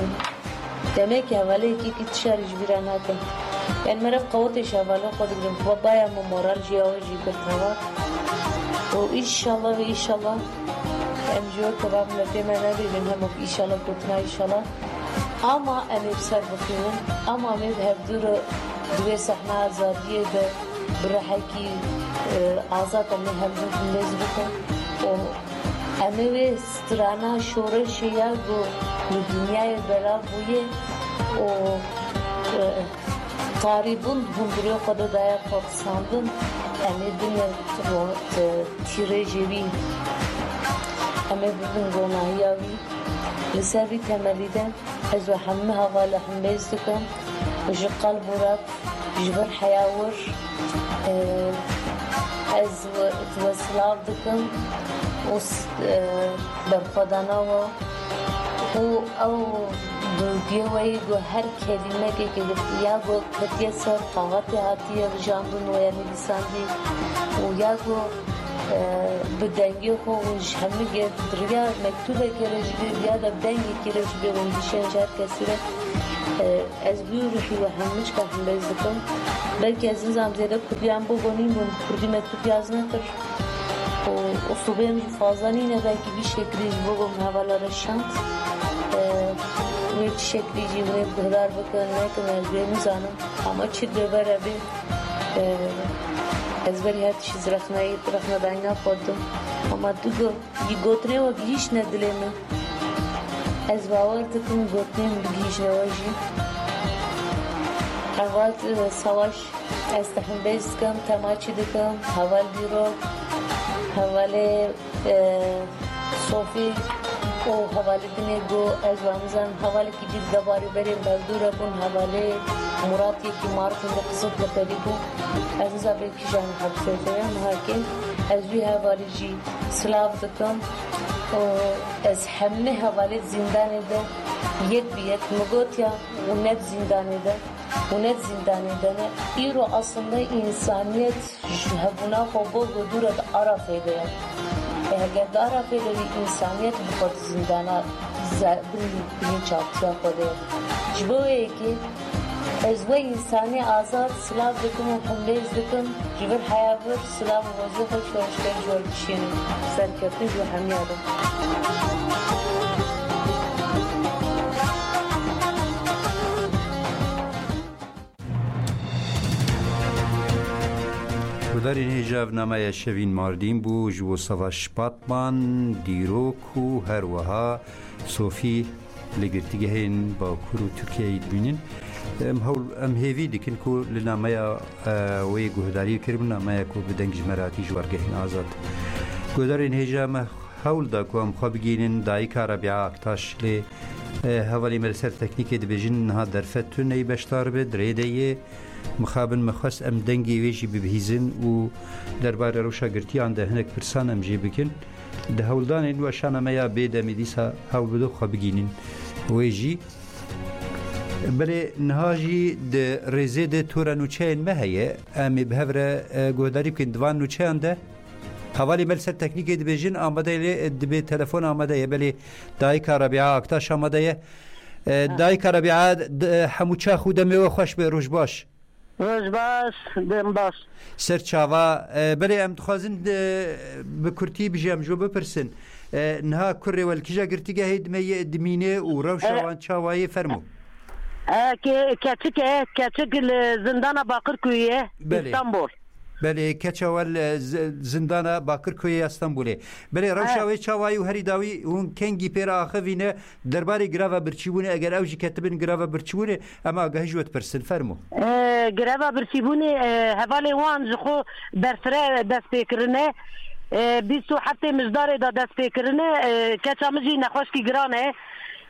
Demekî hevalê yekî tişarî ji bîra nake. Yanî me re qewetê ji hevalên xwe digirin. Babaya min moral jî ya we jî girt heval. Û înşallah ve înşallah Em ji we keva miletê me nebêjin hemok îşala gotina îşala. Ama em ê bi ser bixînin. Ama em ê bi hevdû re di wê sehna azadiyê de bi rihekî, e, azad em ê hevdû himêz bikin. Û em ê wê strana şoreşê ya ku li dinyayê belav bûye û, e, tarîbûn hundirê xwe de daye xwe xisandin, em ê bine tîrêjê wî, em ê bibin ronahiya wî. Li ser vî temelî de ez we hemû hevala himêz dikim, ji qelb û rev, ji vir heya wir, e, ez we, we silav dikim û s-, e, berxwedana we û ew dûrgiyê we yê ku her kelîmekê ke ya ku ketiye ser kaxetê hatiye rijandin û ya nivîsandî û ya ku, e, bi dengê xwe û ji hemû ge-, bi riya mektûbekê re jî bê, ya da bi dengekê re jî bê, hûn dişên ji her kesî re, e, ez wî ruhî we hemû çika himêz dikim. Belkî ez nizam zêde kurdiyan bo gonîn bûn, kurdî me kurdî az nekir. Û uslubê min jî fazla nîne, belkî vî şeklî ji bo min hevala re şand. E, wê çi şeklî jî hûn ê guhdar bikin, nekin, ez wê nizanim. Ama çi dê bere bê, e, ez berî her tiştî ji rexneyê, rexnedanîna xwe didim. Ama tu got, yî gotinê we gihîştine dilê min. Ez bawer dikim gotinê min bigihîşne we jî. Heval, e, Savaş, ez te hembêz dikim, te maçî dikim, heval Dîrok, hevalê, e, Sofî û hevalê dinê ku ez wan nizanim, hevalekî dî li debarê berê hevdû re bûn, hevalê Murat yekî Mardin de Qiziltepe de bû. Ez nizanim vê kîjan hepsê de ye, niha kê ez wî hevalî jî silav dikim û ez hemî hevalê zîndanê de yek bi yek min gotiya û ne di zîndanê de û ne di zîndanê de ne. Îro aslında însaniyet ji hebûna xwe bo ku dû re di Arafê de ye. E, heger di Arafê de wî însaniyet bi xwe di zîndana ze-, bin, bilinçaltiya xwe de ye. Ji bo wê yekê ez we însanê azad silav dikim û himêz dikim, ji vir heya vir silav û hozê xwe şoreşger ji we dişînim. Serkeftin ji we hemiya re. Guhdarên hêja, ev nameya Şevîn Mardîn bû, ji bo Savaş Batman, Dîrok û her wiha Sofî li girtîgehên Bakur û Tirkiyeyê dibînin. Em hewl, em hêvî dikin ku li nameya, e, wê guhdarî kiribû, nameya ku bi deng ji me re hatî ji wargehên azad. Guhdarên hêja, me hewl da ku em xwe bigihînin dayika Rebîa Aktaş, lê, e, hevalê me li ser teknîkê dibêjin niha derfet tune yî beşdar be, di rê de ye. Mixabin me xwest em dengê wê jî bibihîzin û derbarê rewşa girtiyan de hinek pirsan em jê bikin. Di hewldanên weşana me ya bê demê dîsa hewl bide xwe bigihînin wê jî. Belê niha jî di rêzê de tora nûçeyên me heye. Em ê bi hev re, e, guhdarî bikin di van nûçeyan de. Hevalê me li ser teknîkê dibêjin, amade ye, e, dibê telefon amade ye. Belê dayika Rebîa Aktaş amade ye. E, Ha. Dayika Rebîa, d-, e, hemû çax û demê we xweş be, roj baş. Roj baş, dem baş. Ser çava, e, belê em dixwazin, e, bi kurtî bijî em ji we bipirsin. E, niha kurê we li kîja girtîgehê dime ye, dimîne û rewşa E, wan çawa ye, fermo. E, ke-, keçik e, keçik li zindana Bakırköy'ê, Belê. İstanbul. Belê, keça we li z-, zindana Bakırköy'ê ya Stenbolê. Belê, rewşa E. wê çawa ye û herî dawî hûn kengî pê re axivîne, derbarê greva birçîbûnê, eger ew jî ketibin greva birçîbûnê, em agahî ji we dipirsin, fermo. E, greva birçîbûnê, e, hevalê wan ji xwe berfireh dest pê kirine. E, bîst û heftê Mijdarê de dest pê kirine. E, keça min jî nexweşkî giran e.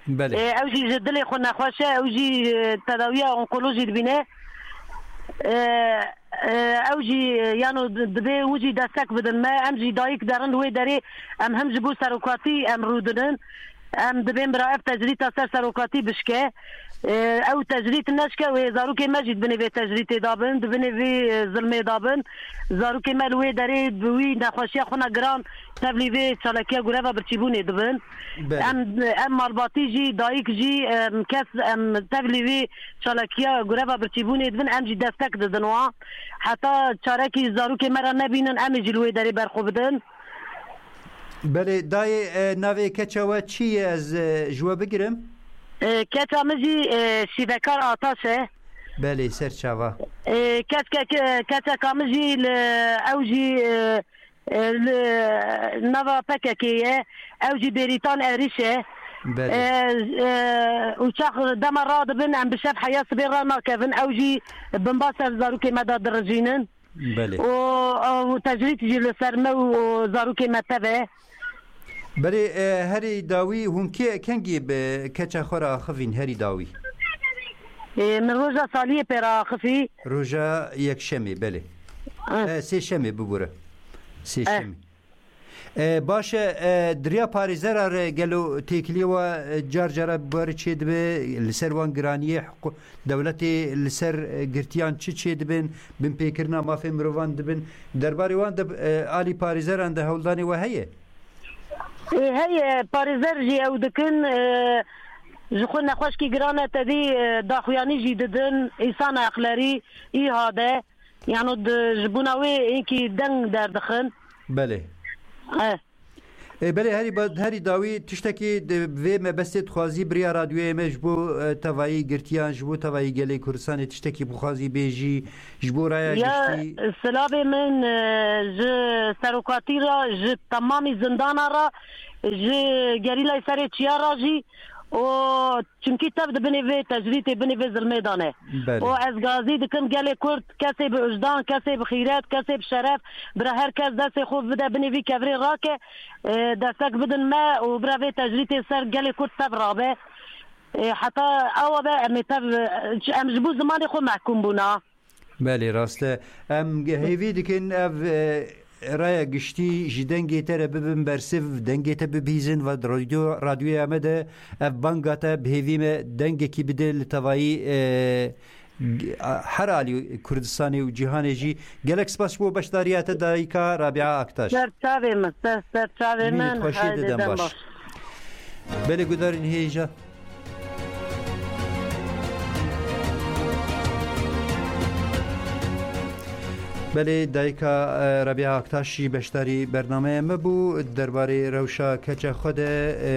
Belê. E, ew jî ji dilê xwe nexweş e, ew jî, e, tedawiya onkolojî dibîne. E, e, ew jî, e, yano di-, dibê wî jî destek bidin me. Em jî dayik derin li wê derê, em him ji bo serokatî em rûdinin. Em dibên bira ev tecrîta ser serokatî bişke. E, ew tecrît neşke wê zarokê me jî di binê vê tecrîtê de bin, di binê vê, e, zilmê de bin. Zarokê me li wê derê bi wî nexweşiya xwe ne giran tevlî vê çalakiya greva birçîbûnê dibin. Belê. Em, em malbatî jî, dayik jî, em kes, em tevlî vê çalakiya greva birçîbûnê dibin, em jî destek didin wan. Heta çarekî zarokê me re nebînin, em ê jî li wê derê berxwe bidin. Belê, dayê, e, navê keça we çi ye? Ez, e, ji we bigirim. E, keça min jî, e, şîvekar Ataş e. Belê, ser çava. E, keçke-, ke-, keçeka min jî li, ew jî, e, e, li nava P K K ye. Ew jî Bêrîtan Erîş e. Belê. E, e, û çax dema radibin, em bi şev heya sibê ranakevin. Ew jî binbas ser zarokê me de dirijînin. Belê. Û, û tecrîd jî li ser me û, û zarokê me tev e. Belê, e, herî dawî hûn kê, kengî bi keça xwe re axivîn herî dawî? E, min roja saliyê pê re axifî. Roja yekşemê, belê. Eh. E, sêşemê bibûre. Eh. Sêşemê. E, baş e, e, di riya parêzera re gelo têkiliyê we, e, car cara bi we re çêdibe, li ser wan giraniyê hiqû-, dewletê li ser, e, girtiyan çi çêdibin, binpêkirina mafê mirovan dibin, derbarê wan de, e, alî parêzeran de hewldanê we heye? E, heye, parêzer jî ew dikin, e, ji xwe nexweşkî giran e, tevî, e, daxuyanî jî didin, îsana eqlerî, îhade. Yano di, ji bona wê hinkî deng derdixin. Belê. Eh. E, belê, herî ba-, herî dawî tiştekî di vê mebestê dixwazî bi riya radyoyê me ji bo, e, tevayî girtiyan, ji bo tevayî gelê Kurdistanê tiştekî bixwazî bêjî, ji bo raya Ya, giştî? Silavê min, e, ji serokatî re, ji temamî zindana re, ji gerîlayê serê çiya re jî û Çimkî tev di binê vê tecrîtê, binê vê zilmê de ne. Belê. Û ez gazî dikim gelê Kurd, kesê bi wijdan, kesê bi xîret, kesê bi şeref, bira her kes destê xwe bide binê vî kevirê rake, e, destek bidin me û bira vê tecrîtê ser gelê Kurd tev rabe. E, heta ewa be em ê tev, e, em ji bo zimanê xwe mehkûm bûna. Belê, rast e. Em ge-, hêvî dikin ev, e, raya giştî ji dengê te re bibin bersiv, dengê te bibihîzin ve radyo-, radyoya me de ev banga te bi hêvî me dengekî bide li tevayî, e, g-, a, her alî Kurdistanê û cîhanê jî. Gelek spas ji bo beşdariya te dayika Rabia Aktaş. Ser çavê min, ser, ser çavê Mînî min. Xweşiyê Haydi didem dem baş. baş. Belê gudarên hêja. Belê, dayika, e, Rabia Aktaş jî beşdarî bernameya me bû. Derbarê rewşa keça xwe de, e,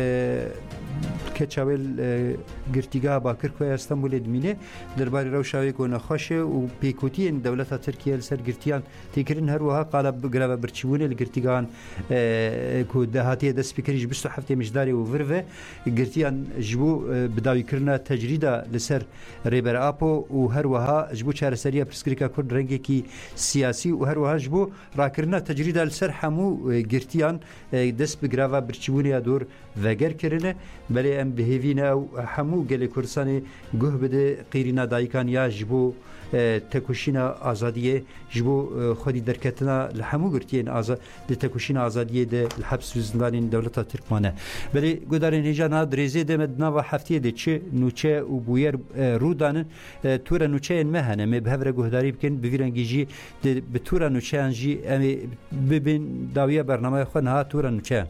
keça wê, e, girtîgeha Bakirkoya Stenbolê dimîne. Derbarê rewşa wê ku nexweş e û pêkutiyên dewleta Tirkiye li ser girtiyan tê kirin, her wiha qala bi-, greva birçîbûnê li girtîgehan, e, ku de hatiye destpêkirin ji bîst û heftê Mijdarê û vir ve girtiyan ji bo, e, bidawîkirina tecrîda li ser Rêber Apo û her wiha ji bo çareseriya pirsgirêka Kurd rengekî siyasî û her wiha ji bo rakirina tecrîda li ser hemû, e, girtiyan, e, dest bi greva birçîbûnê ya dor veger kirine. Belê em bi hêvî ne ew hemû gelê Kurdistanê guh bide qîrîna dayikan ya ji bo, e, tekoşîna azadiyê, ji bo, e, xwedî derketina li hemû girtiyên aza-, di tekoşîna azadiyê de li heps û zindanên dewleta Tirk mane. Belê gudarên hêja niha dirêzê de me di nava heftiyê de çi nûçe û bûyer, e, rû danin, e, tûre nûçeyên me hene. Em ê bi hev re guhdarî bikin, bi vî rengî jî di, bi tûra nûçeyan jî em ê bibin dawiya bernameya xwe niha tûra nûçeyan.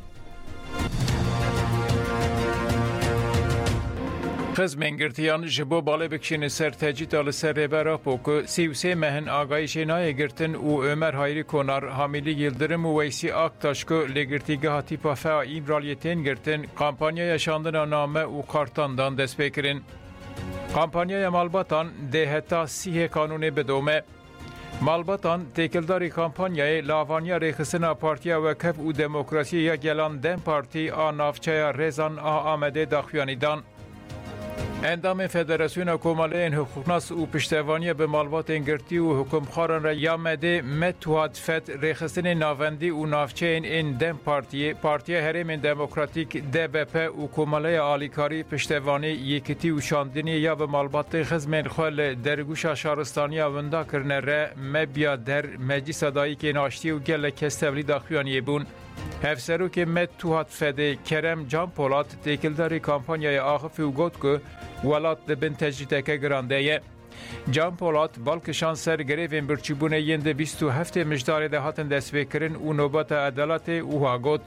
Xizmên girtiyan ji bo balê bikişînin ser tecrîda li ser Rêber Apo ku sî û sê meh in agahî jê nayê girtin û Ömer Hayri Konar, Hamîlî Yildirim û Weysî Aktaş ku li girtîgeha Tîpa Fea Îmraliyê tên girtin, kampanyaya şandina name û kartan dan dest pê kirin. Kampanyaya malbatan dê heta sîhê Kanûnê bidome. Malbatan, têkildarî kampanyayê li avaniya rêxistina Partiya Wekhef û Demokrasiyê ya Gelan, dem Partî, a navçeya Rêzan a Amedê daxuyanî dan. Endamên Federasyona Komeleyên Hiqûqnas û piştevaniya bi malbatên girtî û hikûmxwaran re ya Amedê, Met Tuhat Fed, rêxistinên navendî û navçeyên ên dem Partiyê, Partiya Herêmên Demokratîk, D B P, û Komeleya Alîkarî, Piştevanî, Yekitî û Şandiniyê ya bi malbatê xizmên xwe li dergûşa şaristaniya winda kirine re, Mebya Der, Meclisa Dayikên Aştiyê û gelek kes tevlî daxuyaniyê bûn. Hevserokê Met Tuhat Fedê, Kerem Can Polat, têkildarî kampanyayê axifî û got ku welat di bin tecrîdeke giran de ye. Can Polat bal kişand ser grevên birçîbûnê yên di bîst û heftê Mijdarê de hatin destpêkirin û nobeta edaletê û wiha got,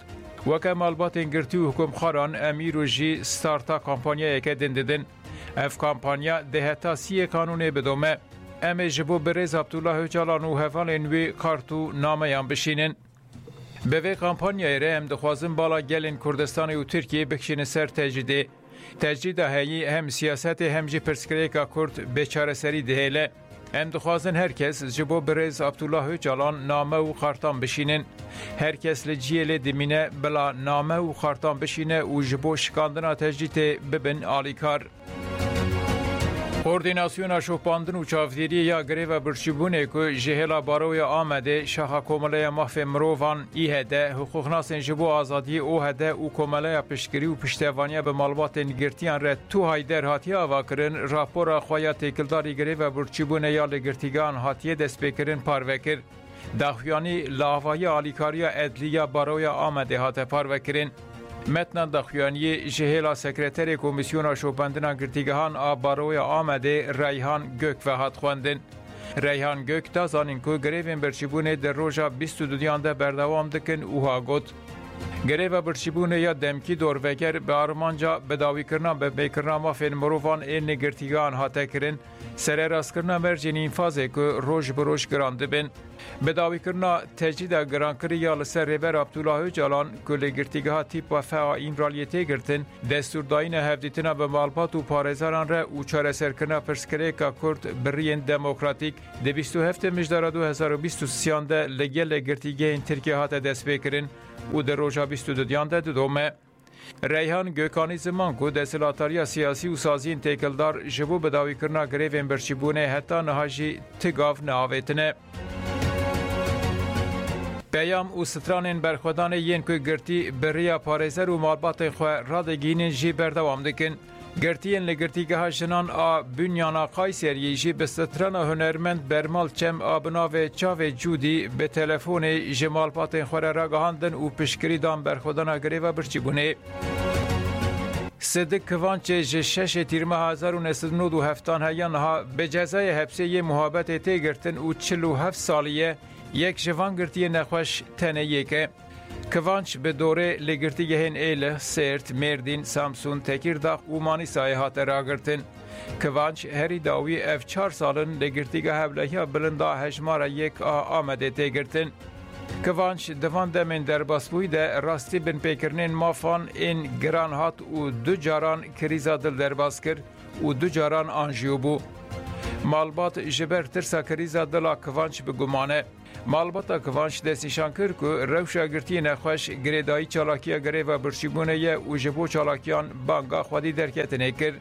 Weke malbatên girtî û hikûmxwaran em îro jî starta kampanyayeke din didin. Ev kampanya dê heta sîyê Kanûnê bidome. Em ê ji bo birêz Abdullah Ocalan û hevalên wî kart û nameyan bişînin. Bi vê kampanyayê re em dixwazin bala gelên Kurdistanê û Tirkiyê bikişînin ser tecrîdê. Tecrîda heyî hem siyasetê hem jî pirsgirêka Kurd bê çareserî dihêle. Em dixwazin her kes ji bo birêz Abdullah Ocalan name û xartan bişînin. Her kes li cihê lê dimîne bila name û xartan bişîne û ji bo şikandina tecrîdê bibin alîkar. Koordînasyona Şopandin û Çavdêriyê ya Greva Birçîbûnê ku ji hêla Baroya Amedê, Şaxa Komeleya Mafê Mirovan, İHD, hiqûqnasên ji bo azadiyê, OHD, û Komeleya Piştgirî û Piştevaniya bi Malbatên Girtiyan re, TUHA'yê derhatiye avakirin, rapora xwe ya têkildarî Greva Birçîbûnê ya li girtîgehan hatiye destpêkirin parve kir. Daxuyanî li avahiya alîkariya edlî ya Baroya Amedê hate parvekirin. Metna daxuyaniyê ji hêla Sekreterê Komîsyona Şopandina Girtîgehan a Baroya Amedê, Reyhan Gök, ve hat xwendin. Reyhan Gök da zanîn ku grevên birçîbûnê di roja bîst û duyan de berdewam dikin û ha got: Greva birçîbûnê ya demkî dorveger bi armanca bidawîkirina binpêkirina mafên mirovan ên li girtîgehan hate kirin, sererastkirina mercên înfazê ku roj bi roj giran dibin. Bidawîkirina tecrîda girankirî ya li ser Rêber Abdullah Ocalan ku li girtîgeha Tîpa F a Îmraliyê tê girtin, destûrdayîna hevdîtina bi malbat û parêzeran re û çareserkirina pirsgirêka Kurd bi riyên demokratîk di bîst û heftê Mijdara du hezar û bîst û sêyan de li gelek girtîgehên Tirkiyê hate destpêkirin û di roja bîst û duyan de didome. Reyhan Gök anî ziman ku desthilatdariya siyasî û saziyên têkildar ji bo bidawîkirina grevên birçîbûnê heta niha jî ti gav neavêtine. Peyam û stranên berxwedanê yên ku girtî bi riya parêzer û malbatên xwe radigihînin jî berdewam dikin. Girtiyên li Girtîgeha Jinan a Bunyana Kayseriyê jî bi strana hunermend Bermal Çem a bi navê Çavê Cûdî bi telefonê ji malbatên xwe re ragihandin û piştgirî dan berxwedana greva birçîbûnê. Sidik Kivançê ji şeşê Tîrmeha hezar û neh sed û nod û heftan heya niha bi cezayê hepsê yê muhabetê tê girtin û çil û heft salî ye, yek ji van girtiyên nexweş tenê yek e. Kivanç bi dorê li girtîgehên Êlih, Sêrt, Mêrdîn, Samsûn, Tekîrdax û Manîsayê hate ragirtin. Kivanç herî dawî ev çar sal in li Girtîgeha Hevlehiya Bilind a Hejmara Yek a Amedê tê girtin. Kivanç di van demên derbasbûyî de rastî binpêkirinên mafan ên giran hat û du caran krîza dil derbas kir û du caran anjiyo bû. Malbat ji ber tirsa krîza dila Kivanç bi guman e. Malbata Kivanç destnîşan kir ku rewşa girtiyê nexweş girêdayî çalakiya greva birçîbûnê ye û ji bo çalakiyan banga xwedî derketinê kir.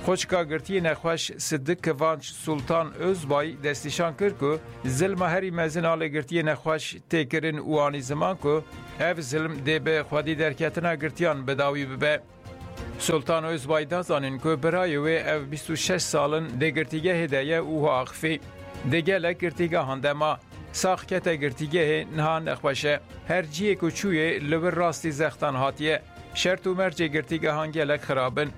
Xwişka girtiyê nexweş Sidik Kivanç Sultan Özbay destnîşan kir ku zilma herî mezin a li girtiyê nexweş tê kirin û anî ziman ku ev zilm dê bi xwedî derketina girtiyan bi dawî bibe. Sultan Özbay da zanîn ku birayê wê ev bîst û şeş sal in di girtîgehê de ye û axifî. Di gelek girtîgehan de ma. Sax kete girtîgehê, niha nexweş e. Her cihê ku çûyê li wir rastî zextan hatiye. Şert û mercê girtîgehan gelek xirab in.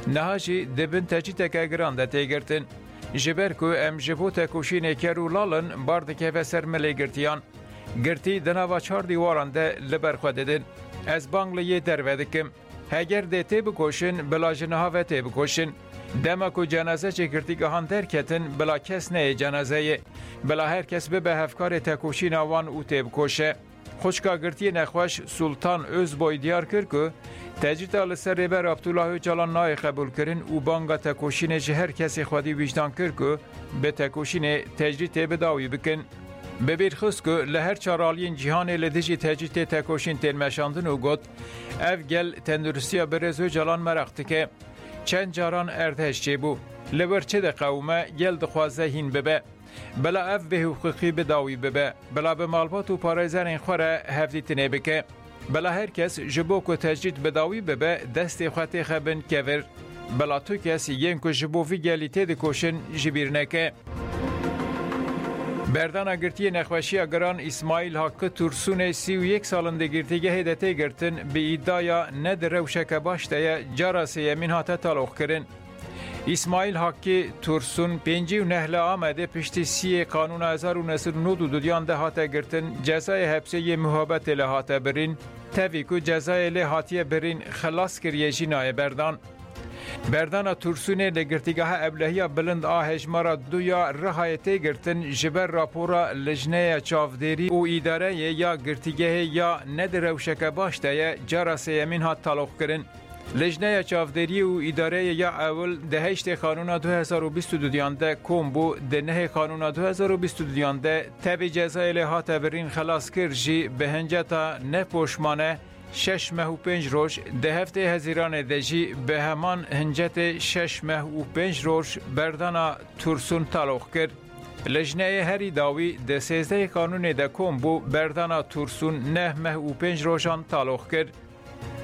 Niha jî di bin tecrîdeke giran de tê girtin. Ji ber ku em ji bo tekoşînê ker û lal in, bar dikeve ser milê girtiyan. Girtî di nava çar dîwaran de li ber xwe didin. Ez bang li yê derve dikim. Heger dê tê bikoşin, bila ji niha ve tê bikoşin. Dema ku cenazecê girtîgehan derketin, bila kes neyê cenazeyê. Bila her kes bibe hevkarê tekoşîna wan û tê bikoşe. Xwişka girtiyê nexweş Sultan Özboy diyar kir ku tecrîda li ser Rêber Abdullah Ocalan nayê qebûlkirin û banga tekoşînê ji her kesê xwedî wîjdan kir ku bi tekoşînê tecrîdê bi dawî bikin. Bi bîr xist ku li her çar aliyên cîhanê li dijî tecrîdê tekoşîn tên meşandin û got, Ev gel tenduristiya birêz Ocalan meraq dike. Çend caran erdhej çêbû. Li wir çi diqewime, gel dixwaze hîn bibe. Bila ev bêhiqûqî bi dawî bibe. Bila bi malbat û parêzerên xwe re hevdîtinê bike. Bila her kes ji bo ku tecrîd bi dawî bibe, destê xwe têxe bin kevir. Bila tu kes yên ku ji bo vî gelî têdikoşin ji bîr neke. Berdana girtiyê nexweşiya giran Îsmaîl Hakkı Tursunê sî û yek sal in di girtîgehê de tê girtin, bi îdiaya ne di rewşeke baş de ye, cara sêyemîn hate taloqkirin. Îsmaîl Hakkı Tursun pêncî û neh li Amedê piştî siyê Kanûna hezar û neh sed û nod û duyan de hate girtin, cezayê hepsê yê muhabetê li hate birîn, tevî ku cezayê lê hatiye birîn, xilas kiriye jî nayê berdan. Berdana Tursûnê li Girtîgeha Ewlehiya Bilind a Hejmara du ya Rihayê tê girtin, ji ber rapora Lijneya Çavdêrî û Îdareyê ya Girtîgehê ya ne di rewşeke baş de ye, cara sêyemîn hat taloqkirin. Lijneya Çavdêriyê û Îdareyê ya ewil di heştê Xanûna du hezar û bîst û duyan de kom bû, di nehê Xanûna du hezar û bîst û duyan de tevî cezayê lê hate birîn xelas kir jî bi hinceta ne poşmane şeş meh û pênc roj, di heftê Hezîranê de jî bi heman hincetê şeş meh û pênc roj berdana Tursûn taloq kir. Lijneyê herî dawî di sêzdehê Xanûnê de kom bû, berdana Tursûn neh meh û pênc rojan taloq kir.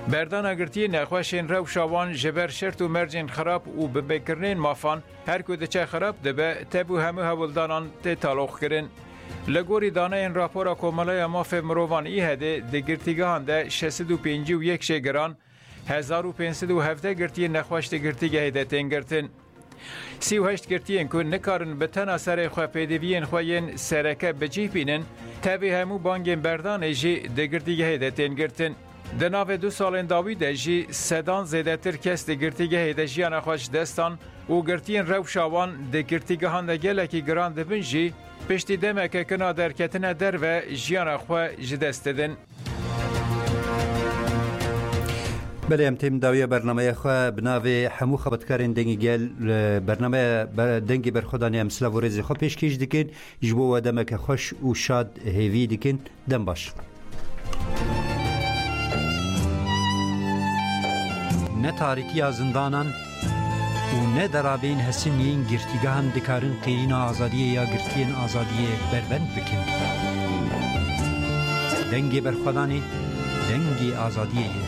Berdana girtiyên nexweşên rewşa wan ji ber şert û mercên xirab û binpêkirinên mafan, her ku diçe xirab dibe, tev û hemû hewldanan tê taloqkirin. Li gorî daneyên rapora Komeleya Mafê Mirovan, ÎHDê, di girtîgehan de şeş sed û pêncî û yek jê giran, hezar û pênc sed û hevdeh girtiyên nexweş di girtîgehê de tên girtin. Sî û heşt girtiyên ku nikarin bi tena serê xwe pêdiviyên xwe yên sereke bi cih bînin, tevî hemû bangên berdanê jî di girtîgehê de tên girtin. Di navê du salên dawî de jî sedan zêdetir kes di girtîgehê de jiyana xwe ji dest dan û girtiyên rewşa wan di girtîgehan de gelekî giran dibin jî, piştî demeke kina derketine derve jiyana xwe ji dest didin. Belê, em têm dawiya bernameya xwe bi navê hemû xebatkarên Dengê Gel, e, bernameya be-, Dengê Berxwedanê em silav û rêzê xwe pêşkêş dikin. Ji bo we demeke xweş û şad hêvî dikin. Dem baş. Ne tarîtiya zindanan û ne derabeyên hesin yên girtîgehan dikarin qêyîna azadiyê ya girtiyên azadiyê berbend bikin. Dengê Berxwedanê, dengê azadiyê ye.